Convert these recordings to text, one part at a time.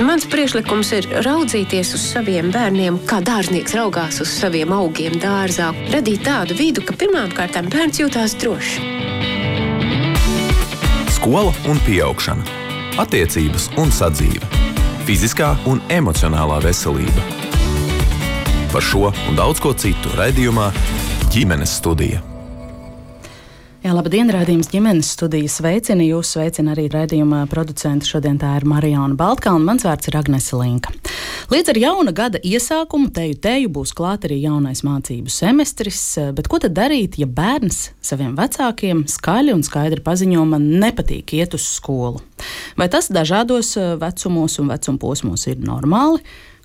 Mans priekšlikums ir raudzīties uz saviem bērniem, kā dārznieks raugās uz saviem augiem dārzā. Radīt tādu vidu, ka pirmām kārtām bērns jūtās droši. Skola un pieaugšana. Attiecības un sadzīve. Fiziskā un emocionālā veselība. Par šo un daudz ko citu raidījumā Ģimenes studija. Jā, labdien, raidījums Ģimenes studija sveicina. Jūs sveicina arī raidījuma producenti. Šodien tā ir Marijona Baltkalna, mans vārds ir Agnese Linka. Līdz ar jauna gada iesākumu teju būs klāt arī jaunais mācību semestris, bet ko tad darīt, ja bērns saviem vecākiem skaļi un skaidri paziņo, man nepatīk iet uz skolu? Vai tas dažādos vecumos un vecumposmos ir normāli?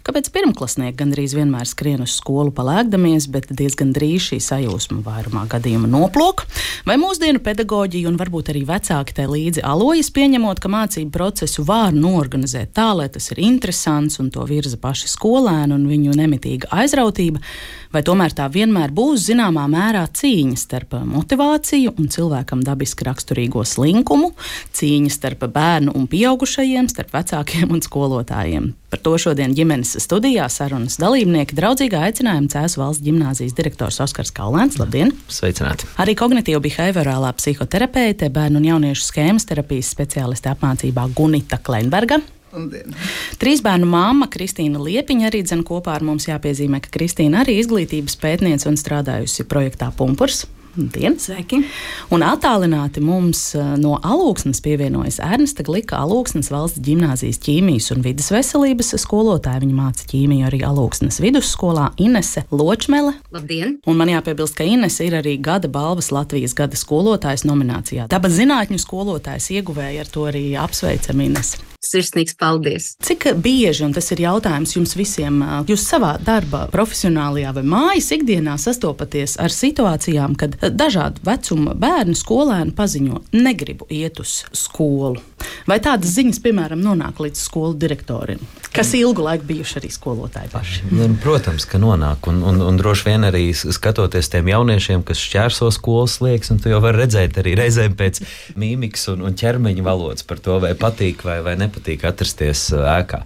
Kāpēc pirmklasnieki gandrīz vienmēr skrien uz skolu palēkdamies, bet diezgan drīz šī sajūsma vairumā gadījumā noplok? Vai mūsdienu pedagoģija un varbūt arī vecāki tai līdzi alojas, pieņemot, ka mācību procesu var noorganizēt tā, lai tas ir interesants un to virza paši skolēni un viņu nemitīga aizrautība? Vai tomēr tā vienmēr būs zināmā mērā cīņa starp motivāciju un cilvēkam dabiski raksturīgo slinkumu, cīņa starp bērnu un pieaugušajiem, starp vecākiem un skolotājiem? Par to šodien ģimenes studijā sarunas dalībnieki draudzīgā aicinājuma Cēsu valsts ģimnāzijas direktors Oskars Kaulēns. Labdien! Sveicināti! Arī kognitīva behaviorālā psihoterapeite, bērnu un jauniešu skēmas terapijas speciāliste apmācībā Gunita Kleinberga. Labdien. 3 bērnu māma Kristīna Liepiņa arī dzen kopā ar mums. Jāpiezīmē, ka Kristīna arī izglītības pētniece un strādājusi projektā Pumpurs. Labdien! Sveiki! Un attālināti mums no Alūksnes pievienojas Ernesta Glika, Alūksnes valsts ģimnāzijas ķīmijas un vides veselības skolotāja. Viņa māca ķīmiju arī Alūksnes vidusskolā. Inese Ločmele. Labdien! Un man jāpiebilst, ka Inese ir arī gada balvas Latvijas gada skolotājs nominācijā. Dabas zinātņu skolotājs ieguvēja, ar to arī apsveicam Inese. Sirsnīgs paldies! Cik bieži, un tas ir jautājums jums visiem, jūs savā darbā, profesionālajā vai mājas ikdienā sastopaties ar situācijām, kad dažādu vecumu bērni, skolēni paziņo, negribu iet uz skolu? Vai tādas ziņas, piemēram, nonāk līdz skolu direktoriem, kas ilgu laiku bijuši arī skolotāji paši? Protams, ka nonāk, un droši vien arī skatoties tiem jauniešiem, kas šķērso skolas slieksni, un tu jau vari redzēt arī reizēm pēc mīmikas un ķermeņa valodas par to, vai patīk vai nepatīk atrasties ēkā.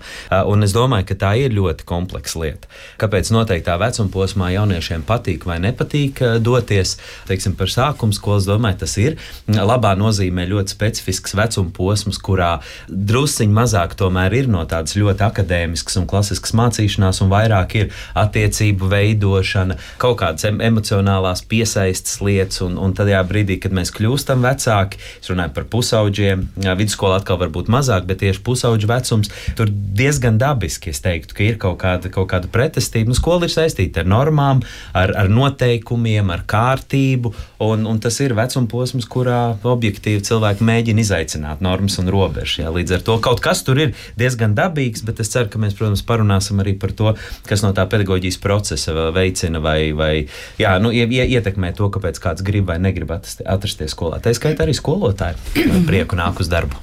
Un es domāju, ka tā ir ļoti kompleksa lieta. Kāpēc noteiktā vecuma posmā jauniešiem patīk vai nepatīk doties, teiksim, par sākuma skolu, es domāju, tas ir labā nozīmē ļoti specifisks vecuma posms, kurā drusciņ mazāk tomēr ir no tādas ļoti akadēmiskas un klasiskas mācīšanās, un vairāk ir attiecību veidošana, kaut kādas emocionālās piesaistes lietas, un tajā brīdī, kad mēs kļūstam vecāki, es runāju par pusauģiem, vidusskola atkal varbūt mazāk, bet tieši pusauģu vecums, tur diezgan dabiski, es teiktu, ka ir kaut kāda pretestība. Skola ir saistīta ar normām, ar noteikumiem, ar kārtību, un tas ir vecuma posms, kurā objektīvi cilvēki mēģina izaicināt normas un robežas. Jā. Līdz ar to kaut kas tur ir diezgan dabīgs, bet es ceru, ka mēs, protams, parunāsim arī par to, kas no tā pedagoģijas procesa veicina vai ietekmē to, kāpēc kāds grib vai negrib atrasties skolā. Tā skaitā arī skolotāji prieku nāk uz darbu.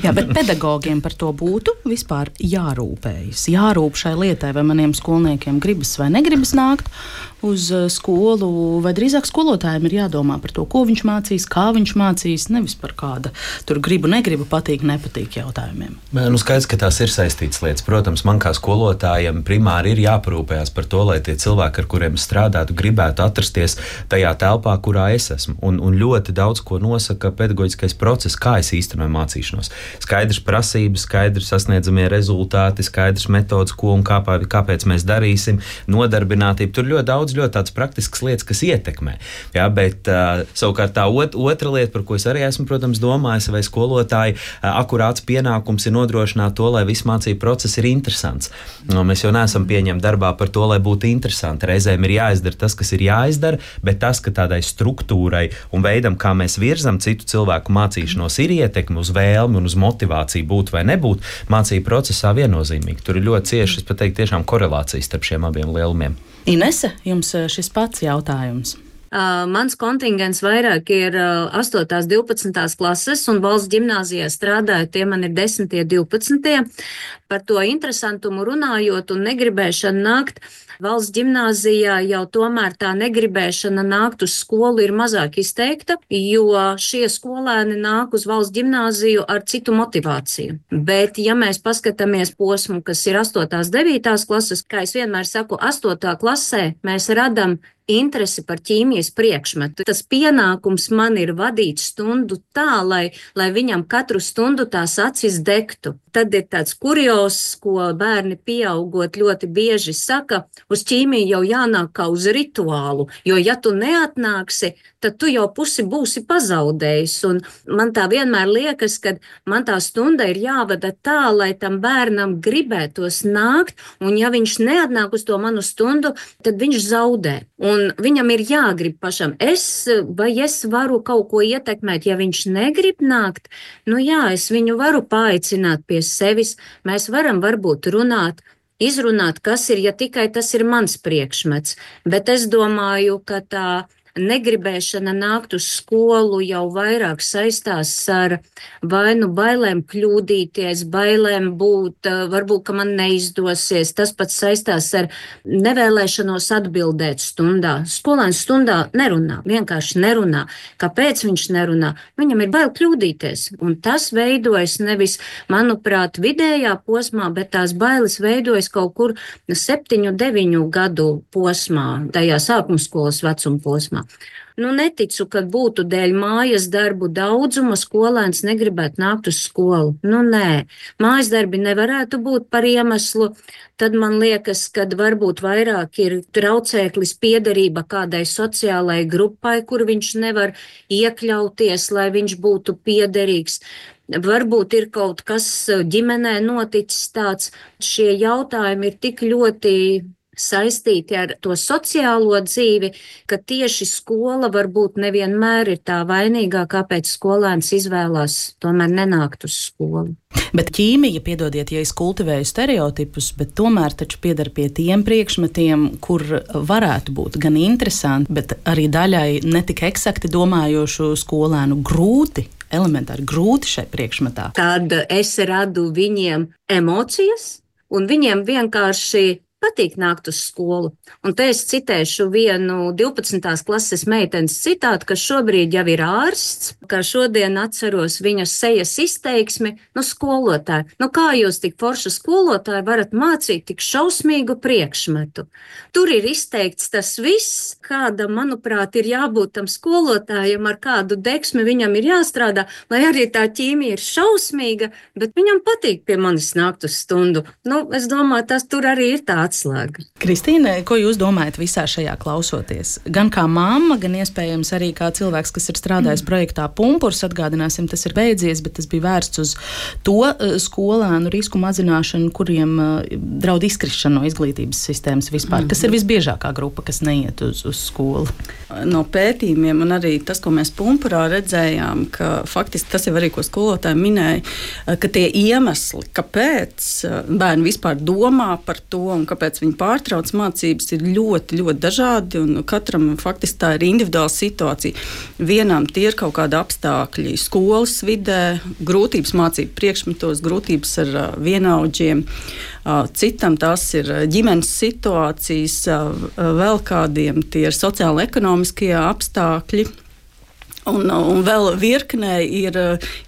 Jā, bet pedagogiem par to būtu vispār jārūpējas. Jārūp šai lietai, vai maniem skolniekiem gribas vai negribas nākt uz skolu, vai drīzāk skolotājiem ir jādomā par to, ko viņš mācīs, kā viņš mācīs, nevis par kāda tur gribu, negribu, patīk, nepatīk jautājumiem. Skaidrs, ka tās ir saistītas lietas. Protams, man kā skolotājiem primāri ir jāparūpējās par to, lai tie cilvēki, ar kuriem strādātu, gribētu atrasties tajā telpā, kurā es esmu. Un ļoti daudz ko nosaka pedagoģiskais process, kā es īstenoju mācīšanos. Skaidrs prasības, skaidrs sasniedzamie rezultāti, skaidrs metodas, ko un kāpēc mēs darīsim, nodarbinātība. Tur ļoti daudz ļoti tādas praktiskas lietas, kas ietekmē. Jā, bet savukārt tā otra lieta, par ko es arī esmu, protams, domājis, vai skolotāji akurāts pienākums ir nodrošināt to, lai viss mācību process ir interesants. Mēs jau neesam pieņemti darbā par to, lai būtu interesanti. Reizēm ir jāizdara tas, kas ir jāizdara, bet tas, ka tādai struktūrai un veidam, kā mēs virzam citu cilvēku mācīšanos, ir ietekme uz vēlmi un uz motivāciju būt vai nebūt mācību procesā viennozīmīgi. Tur ir ļoti cieši, es pat teiktu, tiešām korelācijas starp šiem abiem lielumiem. Inese, jums šis pats jautājums. Mans kontingents vairāk ir 8. 12. klases, un valsts ģimnāzijā strādāju, tie man ir 10. 12. Par to interesantumu runājot un negribēšanu nākt. Valsts ģimnāzijā jau tomēr tā negribēšana nākt uz skolu ir mazāk izteikta, jo šie skolēni nāk uz valsts ģimnāziju ar citu motivāciju. Bet, ja mēs paskatāmies posmu, kas ir 8. 9. klases, kā es vienmēr saku, 8. klasē mēs radam interesi par ķīmijas priekšmetu. Tas pienākums man ir vadīt stundu tā, lai viņam katru stundu tās acis degtu. Tad ir tāds kurios, ko bērni pieaugot ļoti bieži saka, uz ķīmiju jau jānāk kā uz rituālu, jo ja tu neatnāksi, tad tu jau pusi būsi pazaudējis. Un man tā vienmēr liekas, ka man tā stunda ir jāvada tā, lai tam bērnam gribētos nākt, un ja viņš neatnāk uz to manu stundu, tad viņš zaudē. Un viņam ir jāgrib pašam. Es varu kaut ko ietekmēt, ja viņš negrib nākt, es viņu varu paaicināt pie sevis, mēs varam varbūt runāt, izrunāt, kas ir, ja tikai tas ir mans priekšmets. Bet es domāju, ka tā negribēšana nākt uz skolu jau vairāk saistās ar vai nu bailēm kļūdīties, bailēm būt, varbūt, ka man neizdosies. Tas pats saistās ar nevēlēšanos atbildēt stundā. Skolēns stundā nerunā, vienkārši nerunā. Kāpēc viņš nerunā? Viņam ir bail kļūdīties. Un tas veidojas nevis, manuprāt, vidējā posmā, bet tās bailes veidojas kaut kur 7, 9 gadu posmā, tajā sākumskolas vecuma posmā. Neticu, ka būtu dēļ mājas darbu daudzuma skolēns negribētu nākt uz skolu. Nē, mājas darbi nevarētu būt par iemeslu. Tad man liekas, ka varbūt vairāk ir traucēklis piederība kādai sociālai grupai, kur viņš nevar iekļauties, lai viņš būtu piederīgs. Varbūt ir kaut kas ģimenē noticis tāds. Šie jautājumi ir tik ļoti saistīti ar to sociālo dzīvi, ka tieši skola varbūt nevienmēr ir tā vainīgā, kāpēc skolēns izvēlās tomēr nenākt uz skolu. Bet ķīmija, piedodiet, ja es kultivēju stereotipus, bet tomēr taču pieder pie tiem priekšmetiem, kur varētu būt gan interesanti, bet arī daļai netik eksakti domājošu skolēnu elementāri grūti šai priekšmetā. Tad es radu viņiem emocijas, un viņiem vienkārši patīk nākt uz skolu. Un te es citēšu vienu 12. klases meitenes citātu, kas šobrīd jau ir ārsts, kā šodien atceros viņas sejas izteiksmi, skolotāji. Kā jūs tik forša skolotāji varat mācīt tik šausmīgu priekšmetu? Tur ir izteikts tas viss, kāda, manuprāt, ir jābūt tam skolotājam, ar kādu degsmi viņam ir jāstrādā, lai arī tā ķīmija ir šausmīga, bet viņam patīk pie manis nākt uz stundu. Es domāju, tas tur arī ir tā atslēga. Kristīne, ko jūs domājat visā šajā klausoties? Gan kā mamma, gan iespējams arī kā cilvēks, kas ir strādājis projektā Pumpurs, atgādināsim, tas ir beidzies, bet tas bija vērsts uz to skolēnu risku mazināšanu, kuriem draud izkrišana no izglītības sistēmas vispār. Kas ir visbiežākā grupa, kas neiet uz skolu? No pētījumiem un arī tas, ko mēs Pumpurā redzējām, ka faktiski tas jau arī, ko skolotāji minēja, ka tie iemesli, kāpēc bērni vispār domā par to un kāpēc viņi pārtrauc mācības, ir ļoti, ļoti dažādi, un katram faktiski tā ir individuāla situācija. Vienam tie ir kaut kādi apstākļi skolas vidē, grūtības mācību priekšmetos, grūtības ar vienaudžiem, citam tās ir ģimenes situācijas, vēl kādiem tie ir sociāla-ekonomiskie apstākļi. Un vēl virknē ir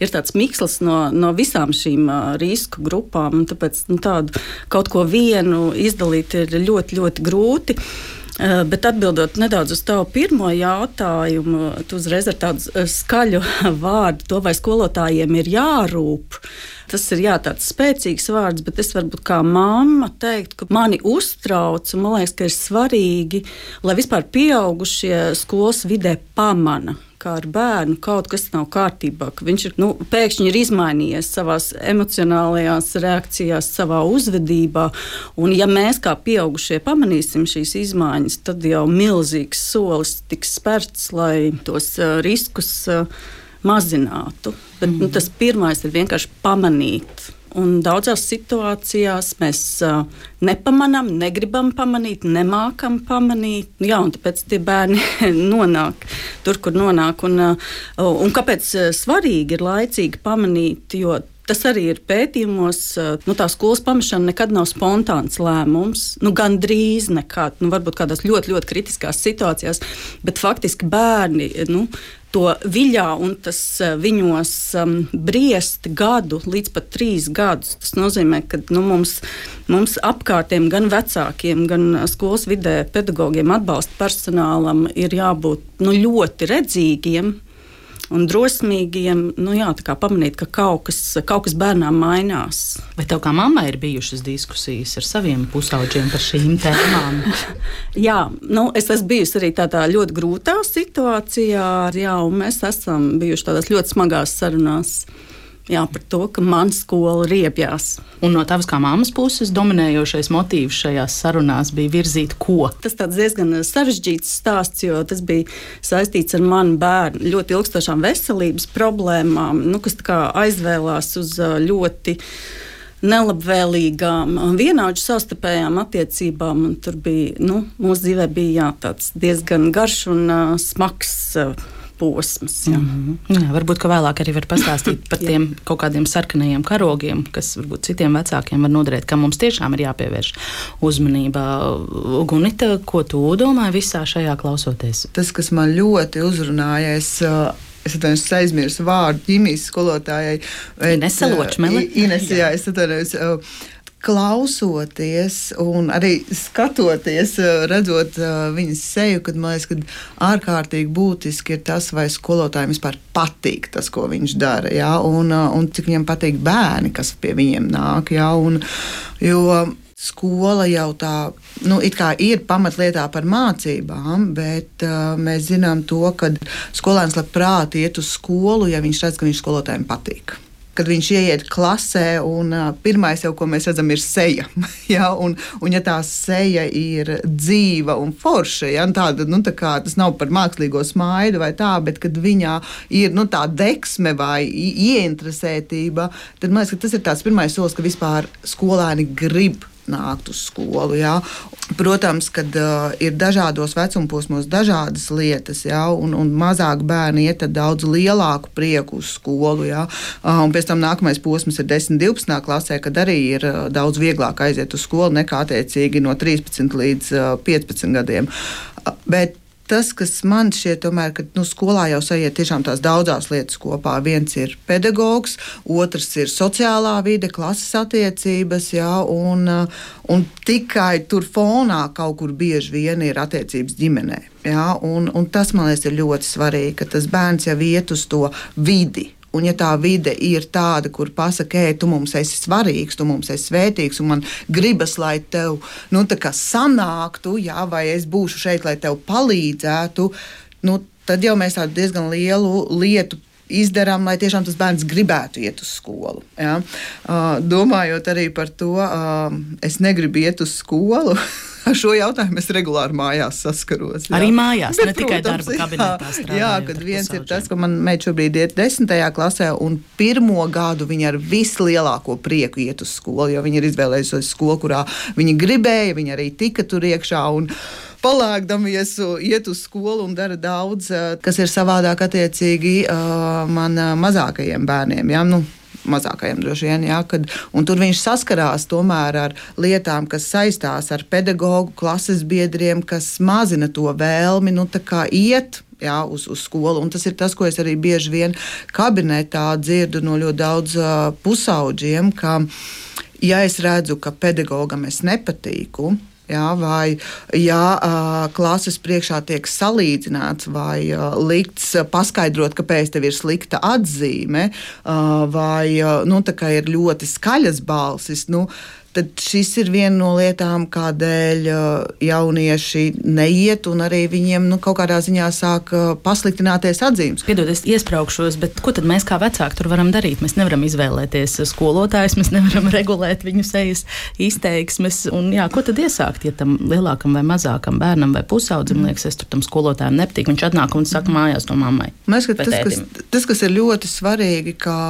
tāds mikslis no visām šīm risku grupām, un tāpēc tādu kaut ko vienu izdalīt ir ļoti, ļoti grūti. Bet atbildot nedaudz uz tavu pirmo jautājumu, tu uzreiz ar tādu skaļu vārdu, to vai skolotājiem ir jārūp. Tas ir tāds spēcīgs vārds, bet es varbūt kā mamma teiktu, ka mani uztrauc, un man liekas, ka ir svarīgi, lai vispār pieaugušie skolas vidē pamana, kā ar bērnu kaut kas nav kārtībā, ka viņš ir, pēkšņi ir izmainījies savās emocionālajās reakcijās, savā uzvedībā, un ja mēs kā pieaugušie pamanīsim šīs izmaiņas, tad jau milzīgs solis tiks spērts, lai tos riskus mazinātu. Bet tas pirmais ir vienkārši pamanīt. Un daudzās situācijās mēs nepamanām, negribam pamanīt, nemākam pamanīt. Jā, un tāpēc tie bērni nonāk tur, kur nonāk. Un kāpēc svarīgi ir laicīgi pamanīt, jo tas arī ir pētījumos. Tā skolas pamešana nekad nav spontāns lēmums. Gandrīz nekad. Varbūt kādās ļoti, ļoti kritiskās situācijās, bet faktiski bērni to viļā, un tas viņos briest gadu līdz pat 3 gadus. Tas nozīmē, ka mums apkārtiem, gan vecākiem, gan skolas vidē pedagogiem, atbalsta personālam ir jābūt ļoti redzīgiem un drosmīgiem, tā kā pamanīt, ka kaut kas bērnām mainās. Vai tev kā mammai ir bijušas diskusijas ar saviem pusauģiem par šīm tēmām? Jā, es esmu bijusi arī tādā ļoti grūtā situācijā, un mēs esam bijuši tādās ļoti smagās sarunās. Jā, par to, ka man skola riebjās. Un no tavas kā mammas puses dominējošais motīvs šajās sarunās bija virzīt ko? Tas tāds diezgan sarežģīts stāsts, jo tas bija saistīts ar manu bērnu ļoti ilgstošām veselības problēmām, kas tā kā aizvēlās uz ļoti nelabvēlīgām vienaudžu savstarpējām attiecībām. Un tur bija, mūsu dzīvē bija tāds diezgan garš un smags posms. Jā. Jā, varbūt, ka vēlāk arī var pastāstīt par tiem kaut kādiem sarkanajiem karogiem, kas varbūt citiem vecākiem var noderēt, kam mums tiešām ir jāpievērš uzmanība. Gunita, ko tu domāji visā šajā klausoties? Tas, kas man ļoti uzrunāja, es aizmirsu vārdu ķīmijas skolotājai. Inese Ločmele. Inese, jā, es atvainojos. Klausoties un arī skatoties, redzot viņas seju, kad man liekas, ka ārkārtīgi būtiski ir tas, vai skolotājiem vispār patīk tas, ko viņš dara, jā, un cik viņam patīk bērni, kas pie viņiem nāk, jā, jo skola jau tā, it kā ir pamatlietā par mācībām, bet mēs zinām to, ka skolēns labprāt iet uz skolu, ja viņš redz, ka viņš skolotājiem patīk. Kad viņš ieiet klasē, un pirmais jau, ko mēs redzam, ir seja. Ja? Un ja tā seja ir dzīva un forša, ja? Tāda, tā kā, tas nav par mākslīgo smaidu vai tā, bet kad viņā ir tā deksme vai ieinteresētība, tad man liekas, ka tas ir tāds pirmais solis, ka vispār skolēni grib nākt uz skolu. Jā. Protams, kad ir dažādos vecumposmos dažādas lietas, jā, un mazāk bērni iet ar daudz lielāku prieku uz skolu. Jā. Un pēc tam nākamais posms ir 10, 12. klasē, kad arī ir daudz vieglāk aiziet uz skolu nekā attiecīgi no 13 līdz 15 gadiem. Bet tas, kas man šķiet, tomēr, ka skolā jau sajiet tiešām tās daudzās lietas kopā. Viens ir pedagogs, otrs ir sociālā vide, klases attiecības, jā, un tikai tur fonā kaut kur bieži vien ir attiecības ģimenē. Jā, un tas, man liekas, ir ļoti svarīgi, ka tas bērns jau iet uz to vidi. Un ja tā vide ir tāda, kur pasaka, tu mums esi svarīgs, tu mums esi svētīgs, un man gribas, lai tev tā kā sanāktu, jā, vai es būšu šeit, lai tev palīdzētu, tad jau mēs tādu diezgan lielu lietu izdarām, lai tiešām tas bērns gribētu iet uz skolu. Ja? Domājot arī par to, es negribu iet uz skolu. Ar šo jautājumu es regulāri mājās saskaros. Jā. Arī mājās, bet, ne tikai protams, darba kabinetā strādājot. Jā, kad viens ir tas, ka man meita šobrīd iet 10. klasē, un 1. gadu viņa ar vislielāko prieku iet uz skolu, jo viņa ir izvēlējusies skolu, kurā viņa gribēja, viņa arī tika tur iekšā un palēkdamies iet uz skolu un dara daudz, kas ir savādāk attiecīgi man mazākajiem bērniem. Jā, mazākajiem droši vien, jā, un tur viņš saskarās tomēr ar lietām, kas saistās ar pedagogu, klases biedriem, kas mazina to vēlmi, tā kā iet, jā, uz skolu. Un tas ir tas, ko es arī bieži vien kabinetā dzirdu no ļoti daudz pusauģiem, ka, ja es redzu, ka pedagogam es nepatīku, jā, vai klases priekšā tiek salīdzināts vai likts paskaidrot, kāpēc tev ir slikta atzīme, vai tā kā ir ļoti skaļas balsis, tad šis ir viena no lietām, kādēļ jaunieši neiet, un arī viņiem kaut kādā ziņā sāk pasliktināties atzīmes. Piedod, es iespraukšos, bet ko tad mēs kā vecāki tur varam darīt? Mēs nevaram izvēlēties skolotājus, mēs nevaram regulēt viņu sejas izteiksmes, un ko tad iesākt, ja tam lielākam vai mazākam bērnam vai pusaudzim liekas, es tur tam skolotājiem nepatīk, viņš atnāk un saka mājās to mammai. Mēs, tas, kas ir ļoti svarīgi, ka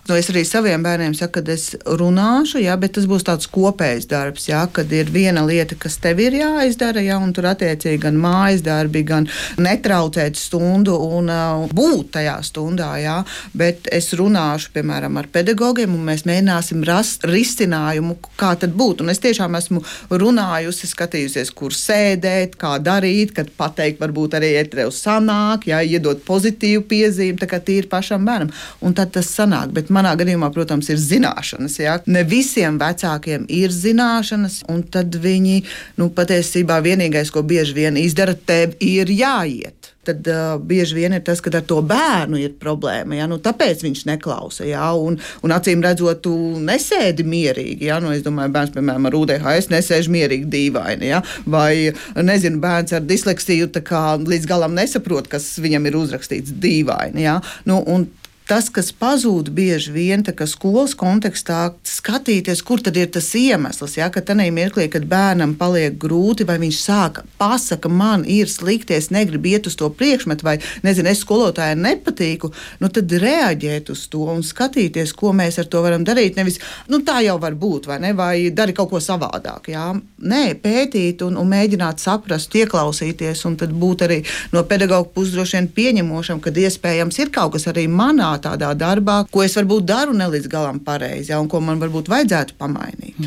Es arī saviem bērniem saku, ka es runāšu, jā, bet tas būs tāds kopējs darbs, jā, kad ir viena lieta, kas tev ir jāizdara, jā, un tur attiecīgi gan mājas darbi, gan netraucēt stundu un būt tajā stundā, jā, bet es runāšu, piemēram, ar pedagogiem, un mēs mēģināsim rast risinājumu, kā tad būt. Un es tiešām esmu runājusi, skatījusies, kur sēdēt, kā darīt, kad pateikt, varbūt arī tev sanāk, jā, iedot pozitīvu piezīmi, tā kā tīri pašam bērnam. Un tad tas sanāk, bet manā gadījumā, protams, ir zināšanas, jā. Ne visiem vecākiem ir zināšanas, un tad viņi, patiesībā vienīgais, ko bieži vien izdara, tev ir jāiet. Tad bieži vien ir tas, ka ar to bērnu ir problēma. Ja? Tāpēc viņš neklausa. Ja? Un acīm redzot, tu nesēdi mierīgi. Ja? Es domāju, bērns, piemēram, ar UDHS nesēž mierīgi dīvaini. Ja? Vai, nezinu, bērns ar disleksiju līdz galam nesaprot, kas viņam ir uzrakstīts dīvaini. Ja? Un tas, kas pazūd bieži vien skolas kontekstā, skatīties, kur tad ir tas iemesls, ja, ka tajā mirklī, kad bērnam paliek grūti, vai viņš pasaka, man ir slikti, es negribu iet uz to priekšmetu, vai, nezinu, es skolotājai nepatīku, tad reaģēt uz to un skatīties, ko mēs ar to varam darīt. Nevis, tā jau var būt, vai ne, vai dari kaut ko savādāk, jā. Nē, pētīt un mēģināt saprast, ieklausīties, un tad būt arī no pedagoga puses droši vien pieņemošam, kad iespējams ir kaut kas arī manā tādā darbā, ko es varbūt daru ne līdz galam pareizi, ja, un ko man varbūt vajadzētu pamainīt.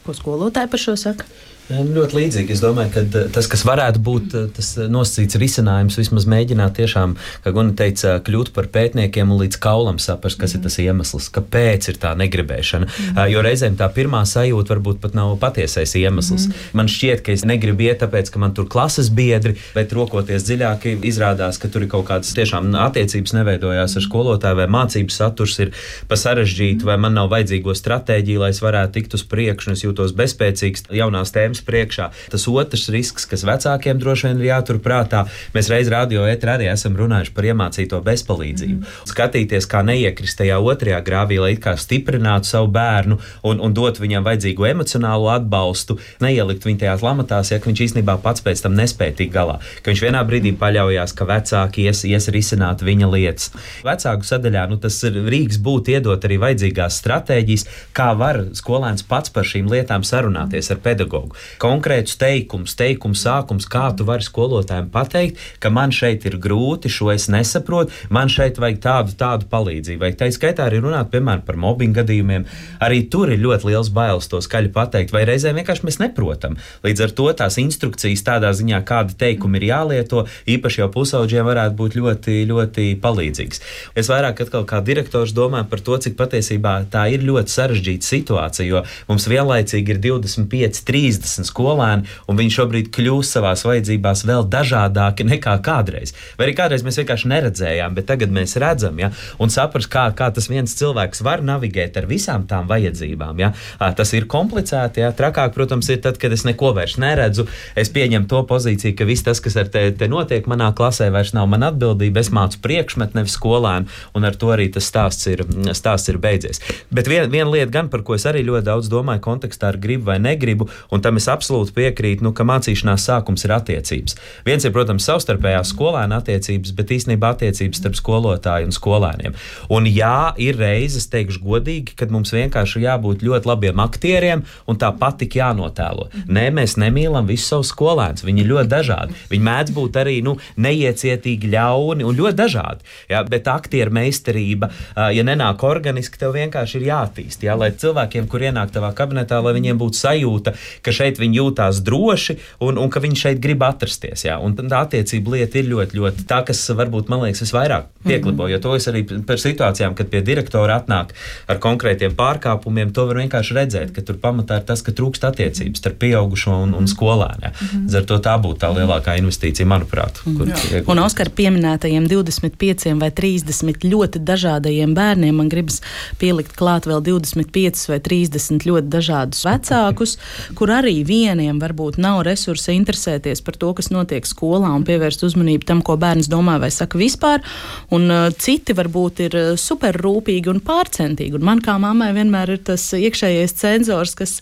Ko skolotāji par šo saka? Ļoti līdzīgi. Es domāju, ka tas, kas varētu būt tas nosacīts risinājums, vismaz mēģināt tiešām, kā Guna teica, kļūt par pētniekiem un līdz kaulam saprast, kas ir tas iemesls, kāpēc ir tā negribēšana. Jo reizēm tā pirmā sajūta varbūt pat nav patiesais iemesls. Man šķiet, ka es negribu iet, tāpēc, ka man tur klases biedri, bet rokoties dziļāk, izrādās, ka tur ir kaut kādas tiešām attiecības neveidojās ar skolotāju, vai mācības saturs ir pa sarežģītu, vai man nav vajadzīgo stratēģiju, lai es varētu tikt uz priekšu, un es jūtos bezspēcīgs jaunās tēmas priekšā. Tas otrs risks, kas vecākiem droši vien ir jātur prātā, mēs reiz radio ētrā arī esam runājuši par iemācīto bezpalīdzību. Skatīties, kā neiekrist tajā otrajā grāvī, lai it kā stiprinātu savu bērnu un dot viņam vajadzīgo emocionālo atbalstu, neielikt viņu tajās lamatās, ja viņš īstenībā pats pēc tam nespēja tikt galā. Ka viņš vienā brīdī paļaujās, ka vecāki ies risināt viņa lietas. Vecāku sadaļā tas ir rīks būt iedot arī vajadzīgās stratēģijas, kā var skolēns pats par šīm lietām sarunāties ar pedagogu. Konkrētus teikumu sākums, kā tu vari skolotājiem pateikt, ka man šeit ir grūti, šo es nesaprotu, man šeit vajag tādu palīdzību. Vai tā skaitā arī runāt, piemēram, par mobbinga gadījumiem. Arī tur ir ļoti liels bailes to skaļi pateikt, vai reizēm vienkārši mēs neprotam. Līdz ar to tās instrukcijas tādā ziņā, kāda teikuma ir jālieto, īpaši jau pusaudžiem varētu būt ļoti, ļoti palīdzīgs. Es vairāk atkal kā direktors domāju par to, cik patiesībā tā ir ļoti sarežģīta situācija, jo mums vienlaicīgi ir 25, 30 skolēni, un viņi šobrīd kļūst savās vajadzībās vēl dažādāki nekā kādreiz. Vai arī kādreiz mēs vienkārši neredzējām, bet tagad mēs redzam, ja? Un saprast, kā tas viens cilvēks var navigēt ar visām tām vajadzībām. Ja? Tas ir komplicēti, ja? Trakāk, protams, ir tad, kad es neko vairs neredzu, es pieņemu to pozīciju, ka viss tas, kas ar te notiek manā klasē, vairs nav mana atbildība, es mācu priekšmetu, nevis skolēnu, un ar to arī tas stāsts ir beidzies. Bet viena lieta gan, par ko es arī ļoti daudz domāju kontekstā ar gribu vai negribu, un tam es absolūti piekrītu, ka mācīšanās sākums ir attiecības. Viens ir, protams, savstarpējās skolēna attiecības, bet īstenībā attiecības starp skolotāju un skolēniem. Un jā, ir reizes, teikšu godīgi, kad mums vienkārši jābūt ļoti labiem aktieriem un tāpat tik jānotēlo. Nē, mēs nemīlam visus savus skolēnus, viņi ir ļoti dažādi. Viņi mēdz būt arī neiecietīgi, ļauni un ļoti dažādi. Ja? Bet aktieru meistarība, ja nenāk organiski, tev vienkārši ir jāattīst. Ja? Lai cilvēkiem, kur ienāk tavā kabinetā, lai viņiem būtu sajūta, ka šeit viņi jūtās droši un ka viņi šeit grib atrasties. Jā. Un tā attiecība lieta ir ļoti, ļoti tā, kas varbūt, man liekas, visvairāk pieklibo, jo to es arī par situācijām, kad pie direktora atnāk ar konkrētiem pārkāpumiem, to var vienkārši redzēt, ka tur pamatā ir tas, ka trūkst attiecības starp pieaugušo un skolēnu. Ar to tā būtu tā lielākā investīcija, manuprāt. Un Oskar pieminētajiem 25 vai 30 ļoti dažādajiem bērniem, man gribas pielikt klāt vēl 25 vai 30 ļoti dažādus vecākus, kur arī arī vieniem varbūt nav resursa interesēties par to, kas notiek skolā un pievērst uzmanību tam, ko bērns domā vai saka vispār, un citi varbūt ir superrūpīgi un pārcentīgi. Un man kā mammai vienmēr ir tas iekšējais cenzors, kas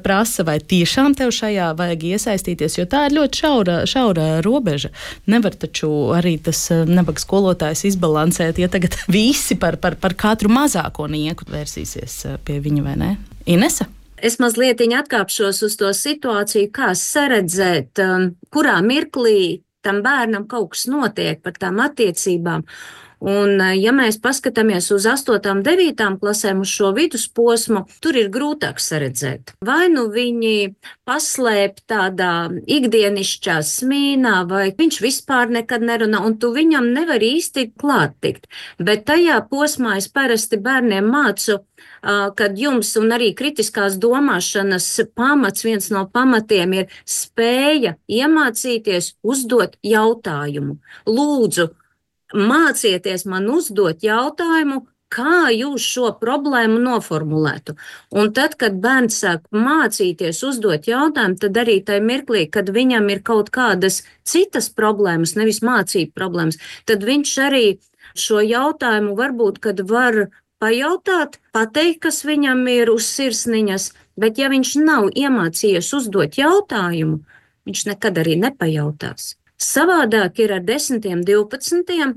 prasa, vai tiešām tev šajā vajag iesaistīties, jo tā ir ļoti šaura robeža. Nevar taču arī tas nabaga skolotājs izbalansēt, ja tagad visi par katru mazāko nieku vērsīsies pie viņa, vai ne? Inese? Es mazliet atkāpšos uz to situāciju, kā saredzēt, kurā mirklī tam bērnam kaut kas notiek par tām attiecībām. Un, ja mēs paskatāmies uz 8. un 9. klasēm, uz šo vidusposmu, tur ir grūtāk saredzēt. Vai nu viņi paslēp tādā ikdienišķā smīnā, vai viņš vispār nekad nerunā, un tu viņam nevar īsti klāt tikt. Bet tajā posmā es parasti bērniem mācu, kad jums un arī kritiskās domāšanas pamats, viens no pamatiem ir spēja iemācīties uzdot jautājumu. Lūdzu, mācieties man uzdot jautājumu, kā jūs šo problēmu noformulētu. Un tad, kad bērns sāk mācīties uzdot jautājumu, tad arī tajā mirklī, kad viņam ir kaut kādas citas problēmas, nevis mācību problēmas, tad viņš arī šo jautājumu varbūt, kad var pajautāt, pateikt, kas viņam ir uz sirsniņas, bet ja viņš nav iemācījies uzdot jautājumu, viņš nekad arī nepajautās. Savādāk ir ar 10, 12,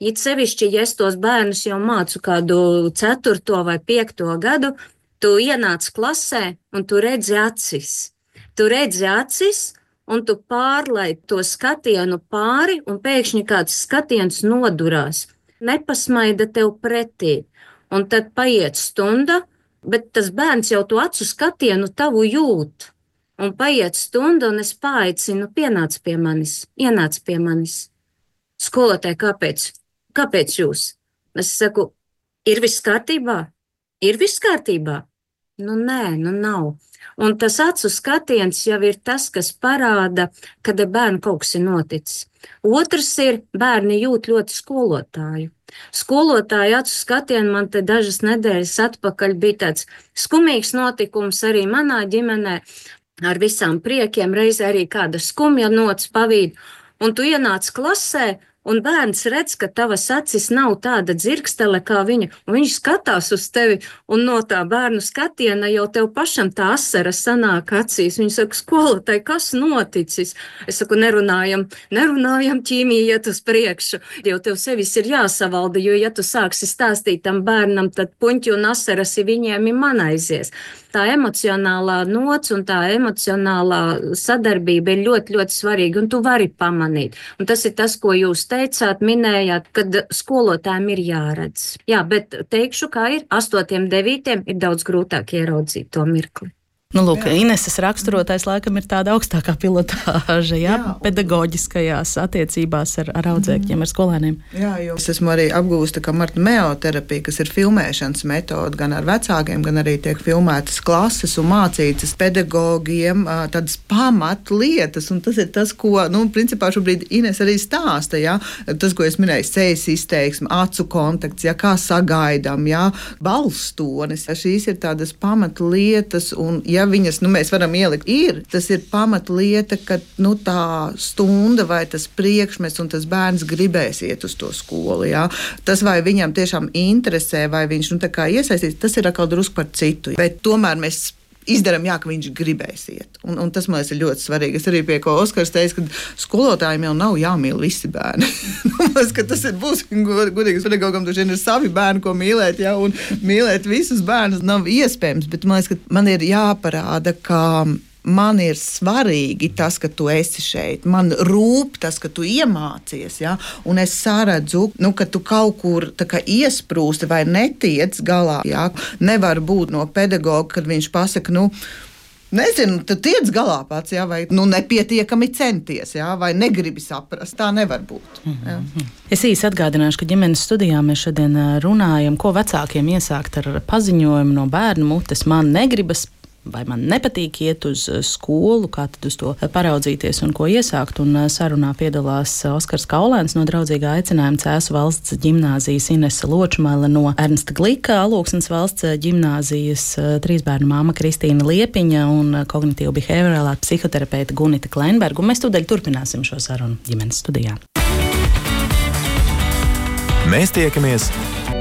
it sevišķi, ja es tos bērnus jau mācu kādu 4. vai 5. gadu, tu ienāc klasē un tu redzi acis. Tu redzi acis un tu pārlaid to skatienu pāri un pēkšņi kāds skatiens nodurās. Nepasmaida tev pretī. Un tad paiet stunda, bet tas bērns jau to acu skatienu tavu jūt. Un paiet stunda, un es paaicinu, ienāc pie manis. Skolotāji, kāpēc? Kāpēc jūs? Es saku, ir viss kārtībā? Ir viss kārtībā? Nu nē, nav. Un tas acu skatiens jau ir tas, kas parāda, kad ar bērnu kaut kas ir noticis. Otrs ir, bērni jūt ļoti skolotāju. Skolotāju acu skatienu man te dažas nedēļas atpakaļ bija tāds skumīgs notikums arī manā ģimenē. Ar visām priekiem, reizē arī kāda skumja nots pavīd, un tu ienāc klasē, un bērns redz, ka tavas acis nav tāda dzirkstele kā viņa, un viņš skatās uz tevi, un no tā bērnu skatiena jau tev pašam tā asara sanāk acīs. Viņš saka, skolotāji, kas noticis? Es saku, nerunājam ķīmiju iet uz priekšu, jo tev sevis ir jāsavalda, jo ja tu sāksi stāstīt tam bērnam, tad puņķi un asaras viņiem ir man aizies. Tā emocionālā nots un tā emocionālā sadarbība ir ļoti, ļoti svarīga, un tu vari pamanīt. Un tas ir tas, ko jūs teicāt, minējāt, kad skolotājiem ir jāredz. Jā, bet teikšu, kā ir 8, 9 ir daudz grūtāk ieraudzīt to mirkli. Nu, lūk, Ineses raksturotais laikam ir tāda augstākā pilotāža, pedagoģiskajās attiecībās ar audzēkņiem, ar skolēniem. Jā, jo es esmu arī apgūsta, ka Marta meoterapija, kas ir filmēšanas metode, gan ar vecākiem, gan arī tiek filmētas klases un mācītas pedagogiem tādas pamatlietas, un tas ir tas, ko, principā šobrīd Ines arī stāsta, tas, ko es minēju, sejas izteiksme, acu kontakts, kā sagaidām, balstonis, šīs ir tādas pamatlietas, un viņas, mēs varam ielikt, tas ir pamatlieta, ka tā stunda vai tas priekšmets un tas bērns gribēs iet uz to skolu. Tas, vai viņam tiešām interesē, vai viņš iesaistīs, tas ir atkal drusku par citu. Bet tomēr mēs izdarām, ka viņš gribēs iet. Un tas, man liekas, ir ļoti svarīgi. Es arī pie ko Oskars teica, ka skolotājiem jau nav jāmīl visi bērni. Tas ir godīgs pedagogam, taču ir savi bērni, ko mīlēt, un mīlēt visus bērnus nav iespējams, bet man liekas, ka man ir jāparāda, ka man ir svarīgi tas, ka tu esi šeit. Man rūp tas, ka tu iemācies, un es saredzu, ka tu kaut kur iesprūsti vai netiec galā. Nevar būt no pedagoga, kad viņš pasaka, nezinu, tu tiec galā pats, vai nepietiekami centies, vai negribi saprast. Tā nevar būt. Es īsi atgādināšu, ka ģimenes studijā mēs šodien runājam, ko vecākiem iesākt ar paziņojumu no bērnu mutes. Man negribas vai man nepatīk iet uz skolu, kā tad uz to paraudzīties un ko iesākt. Un sarunā piedalās Oskars Kaulēns no Draudzīgā aicinājuma Cēsu valsts ģimnāzijas, Inese Ločmele no Ernsta Glika, Alūksnes valsts ģimnāzijas, 3 bērnu māma Kristīna Liepiņa un kognitīva behaviorālā psihoterapeita Gunita Kleinberga. Un mēs tūdaļ turpināsim šo sarunu ģimenes studijā. Mēs tiekamies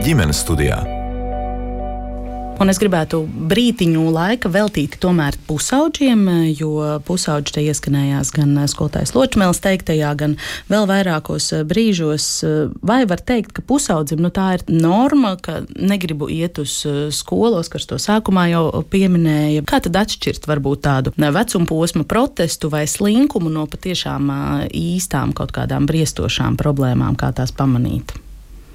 ģimenes studijā. Un es gribētu brītiņu laika veltīt tomēr pusauģiem, jo pusauģi te ieskanējās gan skolotājs Ločmeles teiktajā, gan vēl vairākos brīžos. Vai var teikt, ka pusaudzim tā ir norma, ka negribu iet uz skolu, Oskars to sākumā jau pieminēja. Kā tad atšķirt varbūt tādu vecumposma protestu vai slinkumu no patiešām īstām kaut kādām briestošām problēmām, kā tās pamanīt?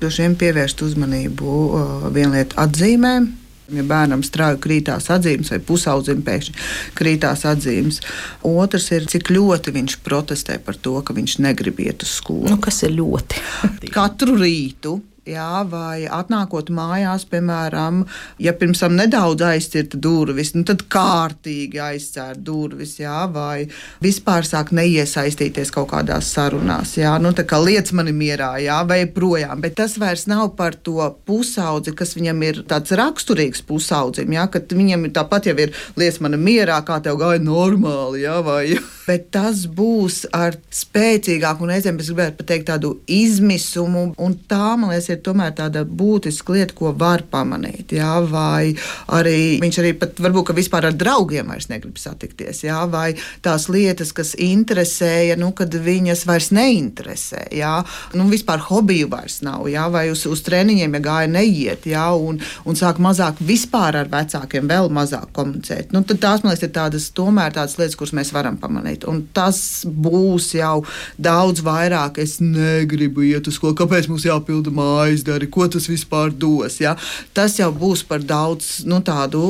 Šiem pievērst uzmanību vienliet atzīmēm. Ja bērnam strauji krītās atzīmes vai pusaudzim pēkšņi krītās atzīmes. Otrs ir, cik ļoti viņš protestē par to, ka viņš negrib iet uz skolu. Kas ir ļoti? Katru rītu. Jā, vai atnākot mājās, piemēram, ja pirms tam nedaudz aizcirta durvis, tad kārtīgi aizcērt durvis, jā, vai vispār sāk neiesaistīties kaut kādās sarunās, jā, tā kā liec mani mierā, jā, vai projām, bet tas vairs nav par to pusaudzi, kas viņam ir tāds raksturīgs pusaudzim, jā, kad viņam ir tāpat jau ir liec mani mierā, kā tev gāja normāli, jā, vai, bet tas būs ar spēcīgāku, un reizēm es gribētu pateikt tādu izmisumu, un tā, man liekas, ir tomēr tāda būtiska lieta, ko var pamanīt, jā, vai arī viņš arī pat varbūt, ka vispār ar draugiem vairs negrib satikties, jā, vai tās lietas, kas interesēja, kad viņas vairs neinteresē, jā, vispār hobiju vairs nav, jā, vai uz treniņiem, ja gāja neiet, jā, un sāk mazāk vispār ar vecākiem vēl mazāk komunicēt. Tad tās, man liekas, ir tomēr tādas lietas, kuras mēs varam pamanīt, un tas būs jau daudz vairāk, es negribu iet uz skolu, kāpēc mums jāpilda aizdari, ko tas vispār dos. Ja? Tas jau būs par daudz tādu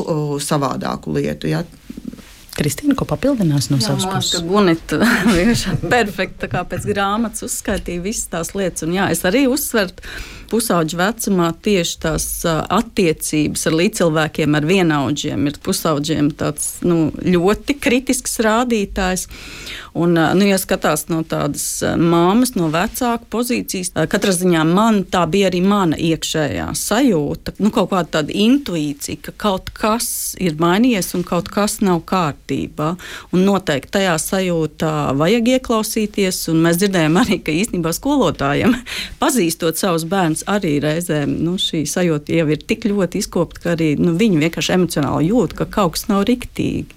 savādāku lietu. Ja? Kristīna, ko papildinās no savas puses? Jā, Gunita vienkārši perfekta, kā pēc grāmatas uzskaitīja visas tās lietas. Un jā, es arī uzsveru pusauģu vecumā tieši tās attiecības ar līdzcilvēkiem, ar vienaudžiem. Ir pusauģiem tāds ļoti kritisks rādītājs. Un, ja skatās no tādas māmas, no vecāku pozīcijas, katrā ziņā tā bija arī mana iekšējā sajūta, kaut kāda tāda intuīcija, ka kaut kas ir mainījies un kaut kas nav kārtībā. Un noteikti tajā sajūtā vajag ieklausīties, un mēs dzirdējām arī, ka īstenībā skolotājiem, pazīstot savus bērnus, arī reizēm šī sajūta jau ir tik ļoti izkopta, ka arī viņi vienkārši emocionāli jūt, ka kaut kas nav riktīgi.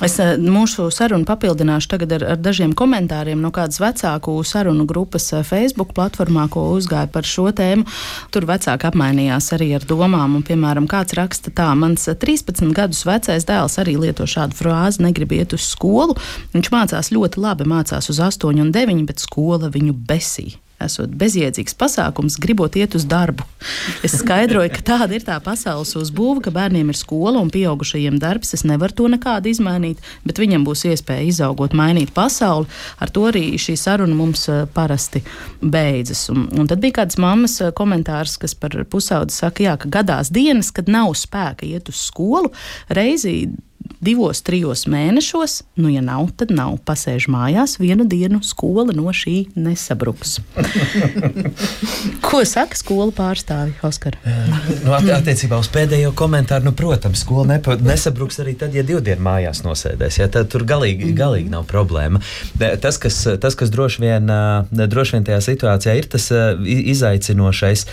Es mūsu sarunu papildināšu tagad ar dažiem komentāriem no kādas vecāku sarunu grupas Facebook platformā, ko uzgāja par šo tēmu. Tur vecāki apmainījās arī ar domām, un, piemēram, kāds raksta tā: mans 13 gadus vecais dēls arī lieto šādu frāzi, negrib iet uz skolu. Viņš mācās ļoti labi, mācās uz 8 un 9, bet skola viņu besī. Esot bezjēdzīgs pasākums, gribot iet uz darbu. Es skaidroju, ka tāda ir tā pasaules uzbūve, ka bērniem ir skola un pieaugušajiem darbs. Es nevaru to nekādu izmainīt, bet viņam būs iespēja izaugot, mainīt pasauli. Ar to arī šī saruna mums parasti beidzas. Un tad bija kāds mammas komentārs, kas par pusaudzi saka, jā, ka gadās dienas, kad nav spēka iet uz skolu, reizi 2-3 mēnešos, ja nav, tad nav. Pasēž mājās, vienu dienu skola no šī nesabruks. Ko saka skolu pārstāvi, Oskar? Attiecībā uz pēdējo komentāru, protams, skola nesabruks arī tad, ja 2 dienu mājās nosēdēs. Ja, tad tur galīgi nav problēma. Tas, kas droši vien tajā situācijā ir tas izaicinošais,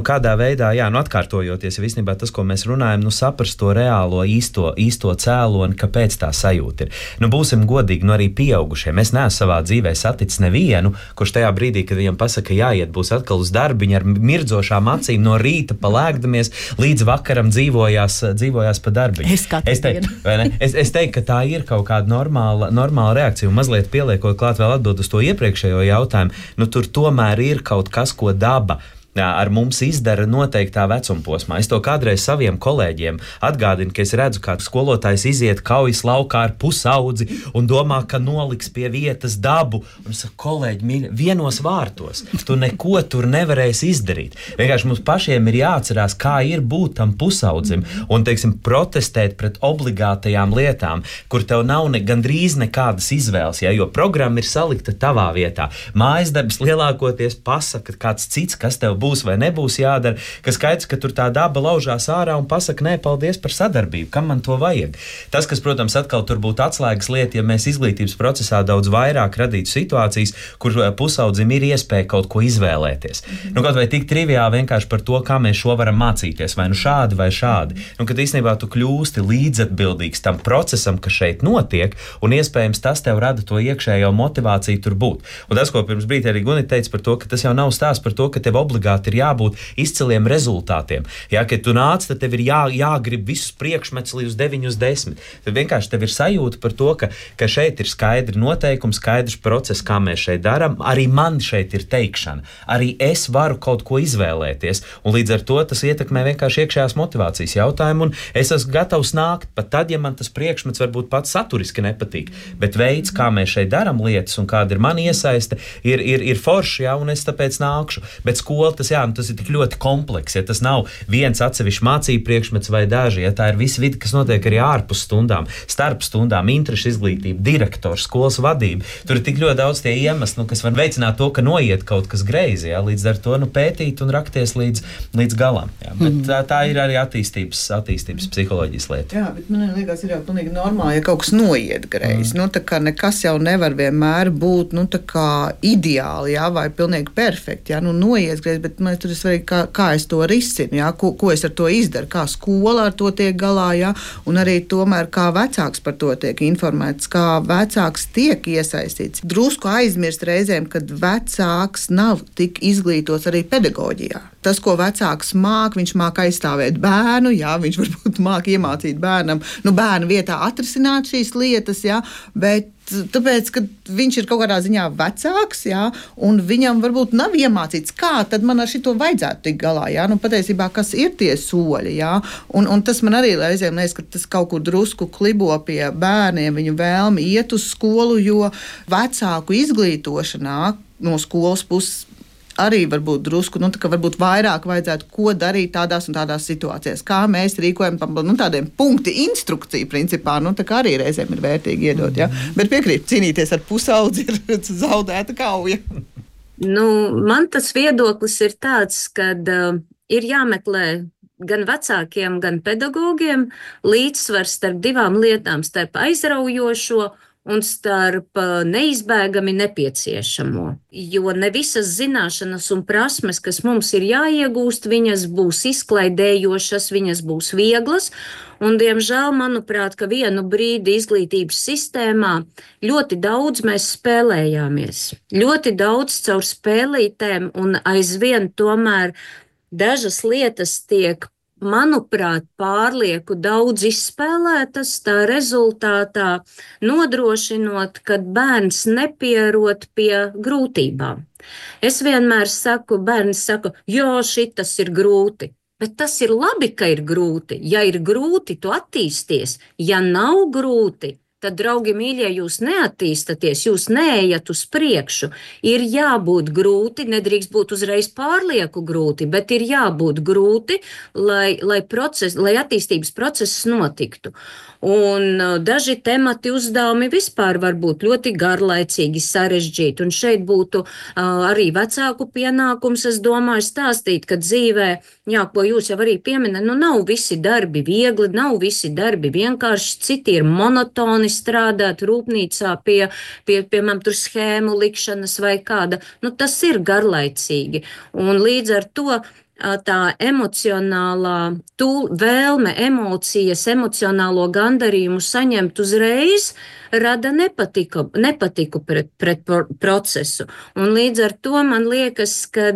kādā veidā, atkārtojoties, ja īstenībā tas, ko mēs runājam, saprast to reālo īsto cēloni, kāpēc tā sajūta ir. Būsim godīgi, arī pieaugušie. Mēs neesam savā dzīvē saticis nevienu, kurš tajā brīdī, kad viņam pasaka, jāiet, būs atkal uz darbiņu ar mirdzošām acīm no rīta palēkdamies, līdz vakaram dzīvojās pa darbiņu. Es teiktu, ka tā ir kaut kāda normāla reakcija, un mazliet pieliekot klāt vēl atbild uz to iepriekšējo jautājumu, tur tomēr ir kaut kas, ko daba ar mums izdara noteiktā vecuma posmā. Es to kādreiz saviem kolēģiem atgādinu, ka es redzu, kā skolotājs iziet kaujas laukā ar pusaudzi un domā, ka noliks pie vietas dabu. Un es saku, kolēģi, mīļi, vienos vārtos. Tu neko tur nevarēsi izdarīt. Vienkārši mums pašiem ir jāatcerās, kā ir būt tam pusaudzim un, teiksim, protestēt pret obligātajām lietām, kur tev nav gandrīz nekādas izvēles, jo programma ir salikta tavā vietā. Mājas darbs lielākoties pasaka kāds cits, kas tev būs vai nebūs jādara, kas skaidrs, ka tur tā daba laužās ārā un pasaka, nē, paldies par sadarbību, kam man to vajag. Tas, kas, protams, atkal tur būtu atslēgas lieta, ja mēs izglītības procesā daudz vairāk radītu situācijas, kur pusaudzim ir iespēja kaut ko izvēlēties. Kaut vai tik triviāli vienkārši par to, kā mēs šo varam mācīties, vai nu šādi vai šādi. Kad īstenībā tu kļūsti līdzatbildīgs tam procesam, kas šeit notiek, un iespējams tas tev rada to iekšējo motivāciju tur būt. Un tas, ko pirms brīdī arī Gunita teica par to, ka tas jau nav stāsts par to, ka tev obligāti ir jābūt izciliem rezultātiem. Ja, kad tu nāc, tad tev ir jāgrib visus priekšmetus līdz 9-10. Tad vienkārši tev ir sajūta par to, ka šeit ir skaidri noteikumi, skaidrs process, kā mēs šeit darām. Arī man šeit ir teikšana. Arī es varu kaut ko izvēlēties. Un līdz ar to tas ietekmē vienkārši iekšējās motivācijas jautājumu. Un es esmu gatavs nākt, pat tad, ja man tas priekšmets varbūt pats saturiski nepatīk. Bet veids, kā mēs šeit darām lietas un kāda ir mana iesaiste, ir forši, ja, un es tāpēc nākšu. Bet skola tas ir tik ļoti komplekss, ja tas nav viens atsevišķs mācību priekšmets vai daži, ja tā ir visa vide, kas notiek arī ārpus stundām, starp stundām, interešu izglītība, direktors, skolas vadība. Tur ir tik ļoti daudz tie iemesli, kas var veicināt to, ka noiet kaut kas greizi, ja, līdz ar to pētīt un rakties līdz galam. Ja. Bet tā ir arī attīstības psiholoģijas lieta. Jā, bet man liekas, ir jau pilnīgi normāli, ja kaut kas noiet greizi. Tā kā nekas jau nevar vienmēr būt, tā kā ideāli, jā, vai pilnīgi perfekti, jā, noiet greizi, bet man tur ir svarīgi, kā es to risinu, jā, ko es ar to izdaru, kā skola ar to tiek galā, jā, un arī tomēr kā vecāks par to tiek informēts, kā vecāks tiek iesaistīts. Drusku aizmirst reizēm, kad vecāks nav tik izglītots arī pedagoģijā. Tas, ko vecāks māk, viņš māk aizstāvēt bērnu, jā, viņš varbūt māk iemācīt bērnam, bērnu vietā atrisināt šīs lietas, jā, bet tāpēc, ka viņš ir kaut kādā ziņā vecāks, jā, un viņam varbūt nav iemācīts, kā tad man ar šito vajadzētu tikt galā, jā, patiesībā, kas ir tie soļi, jā, un tas man arī reizēm liekas, ka tas kaut kur drusku klibo pie bērniem, viņu vēlmi iet uz skolu, jo vecāku izglītošanā no skolas puses arī varbūt drusku, varbūt vairāk vajadzētu, ko darīt tādās un tādās situācijās, kā mēs rīkojam tādiem punkti instrukciju principā, tā kā arī reizēm ir vērtīgi iedot, ja? Bet piekrīt, cīnīties ar pusaudzi ir zaudēta kauja. Man tas viedoklis ir tāds, kad ir jāmeklē gan vecākiem, gan pedagogiem līdzsvars starp divām lietām, starp aizraujošo un starp neizbēgami nepieciešamo. Jo ne visas zināšanas un prasmes, kas mums ir jāiegūst, viņas būs izklaidējošas, viņas būs vieglas. Un, diemžēl, manuprāt, ka vienu brīdi izglītības sistēmā ļoti daudz mēs spēlējāmies. Ļoti daudz caur spēlītēm un aizvien tomēr dažas lietas tiek, manuprāt, pārlieku daudz izspēlētas, tā rezultātā nodrošinot, ka bērns nepierod pie grūtībām. Es vienmēr saku, bērns saka, jo šitas ir grūti, bet tas ir labi, ka ir grūti. Ja ir grūti, tu attīsties. Ja nav grūti, tad, draugi mīļie, jūs neattīstaties, jūs neejat uz priekšu. Ir jābūt grūti, nedrīkst būt uzreiz pārlieku grūti, bet ir jābūt grūti, lai attīstības process notiktu. Un daži temati uzdevumi vispār var būt ļoti garlaicīgi, sarežģīti. Un šeit būtu arī vecāku pienākums, es domāju, stāstīt, ka dzīvē, jā, ko jūs jau arī pieminat, nav visi darbi viegli, nav visi darbi vienkārši, citi ir monotoni strādāt rūpnīcā pie piemēram, tur schēmu likšanas vai kāda. Tas ir garlaicīgi. Un līdz ar to tā emocionālā vēlme, emocijas, emocionālo gandarījumu saņemt uzreiz rada nepatiku pret procesu. Un līdz ar to man liekas, ka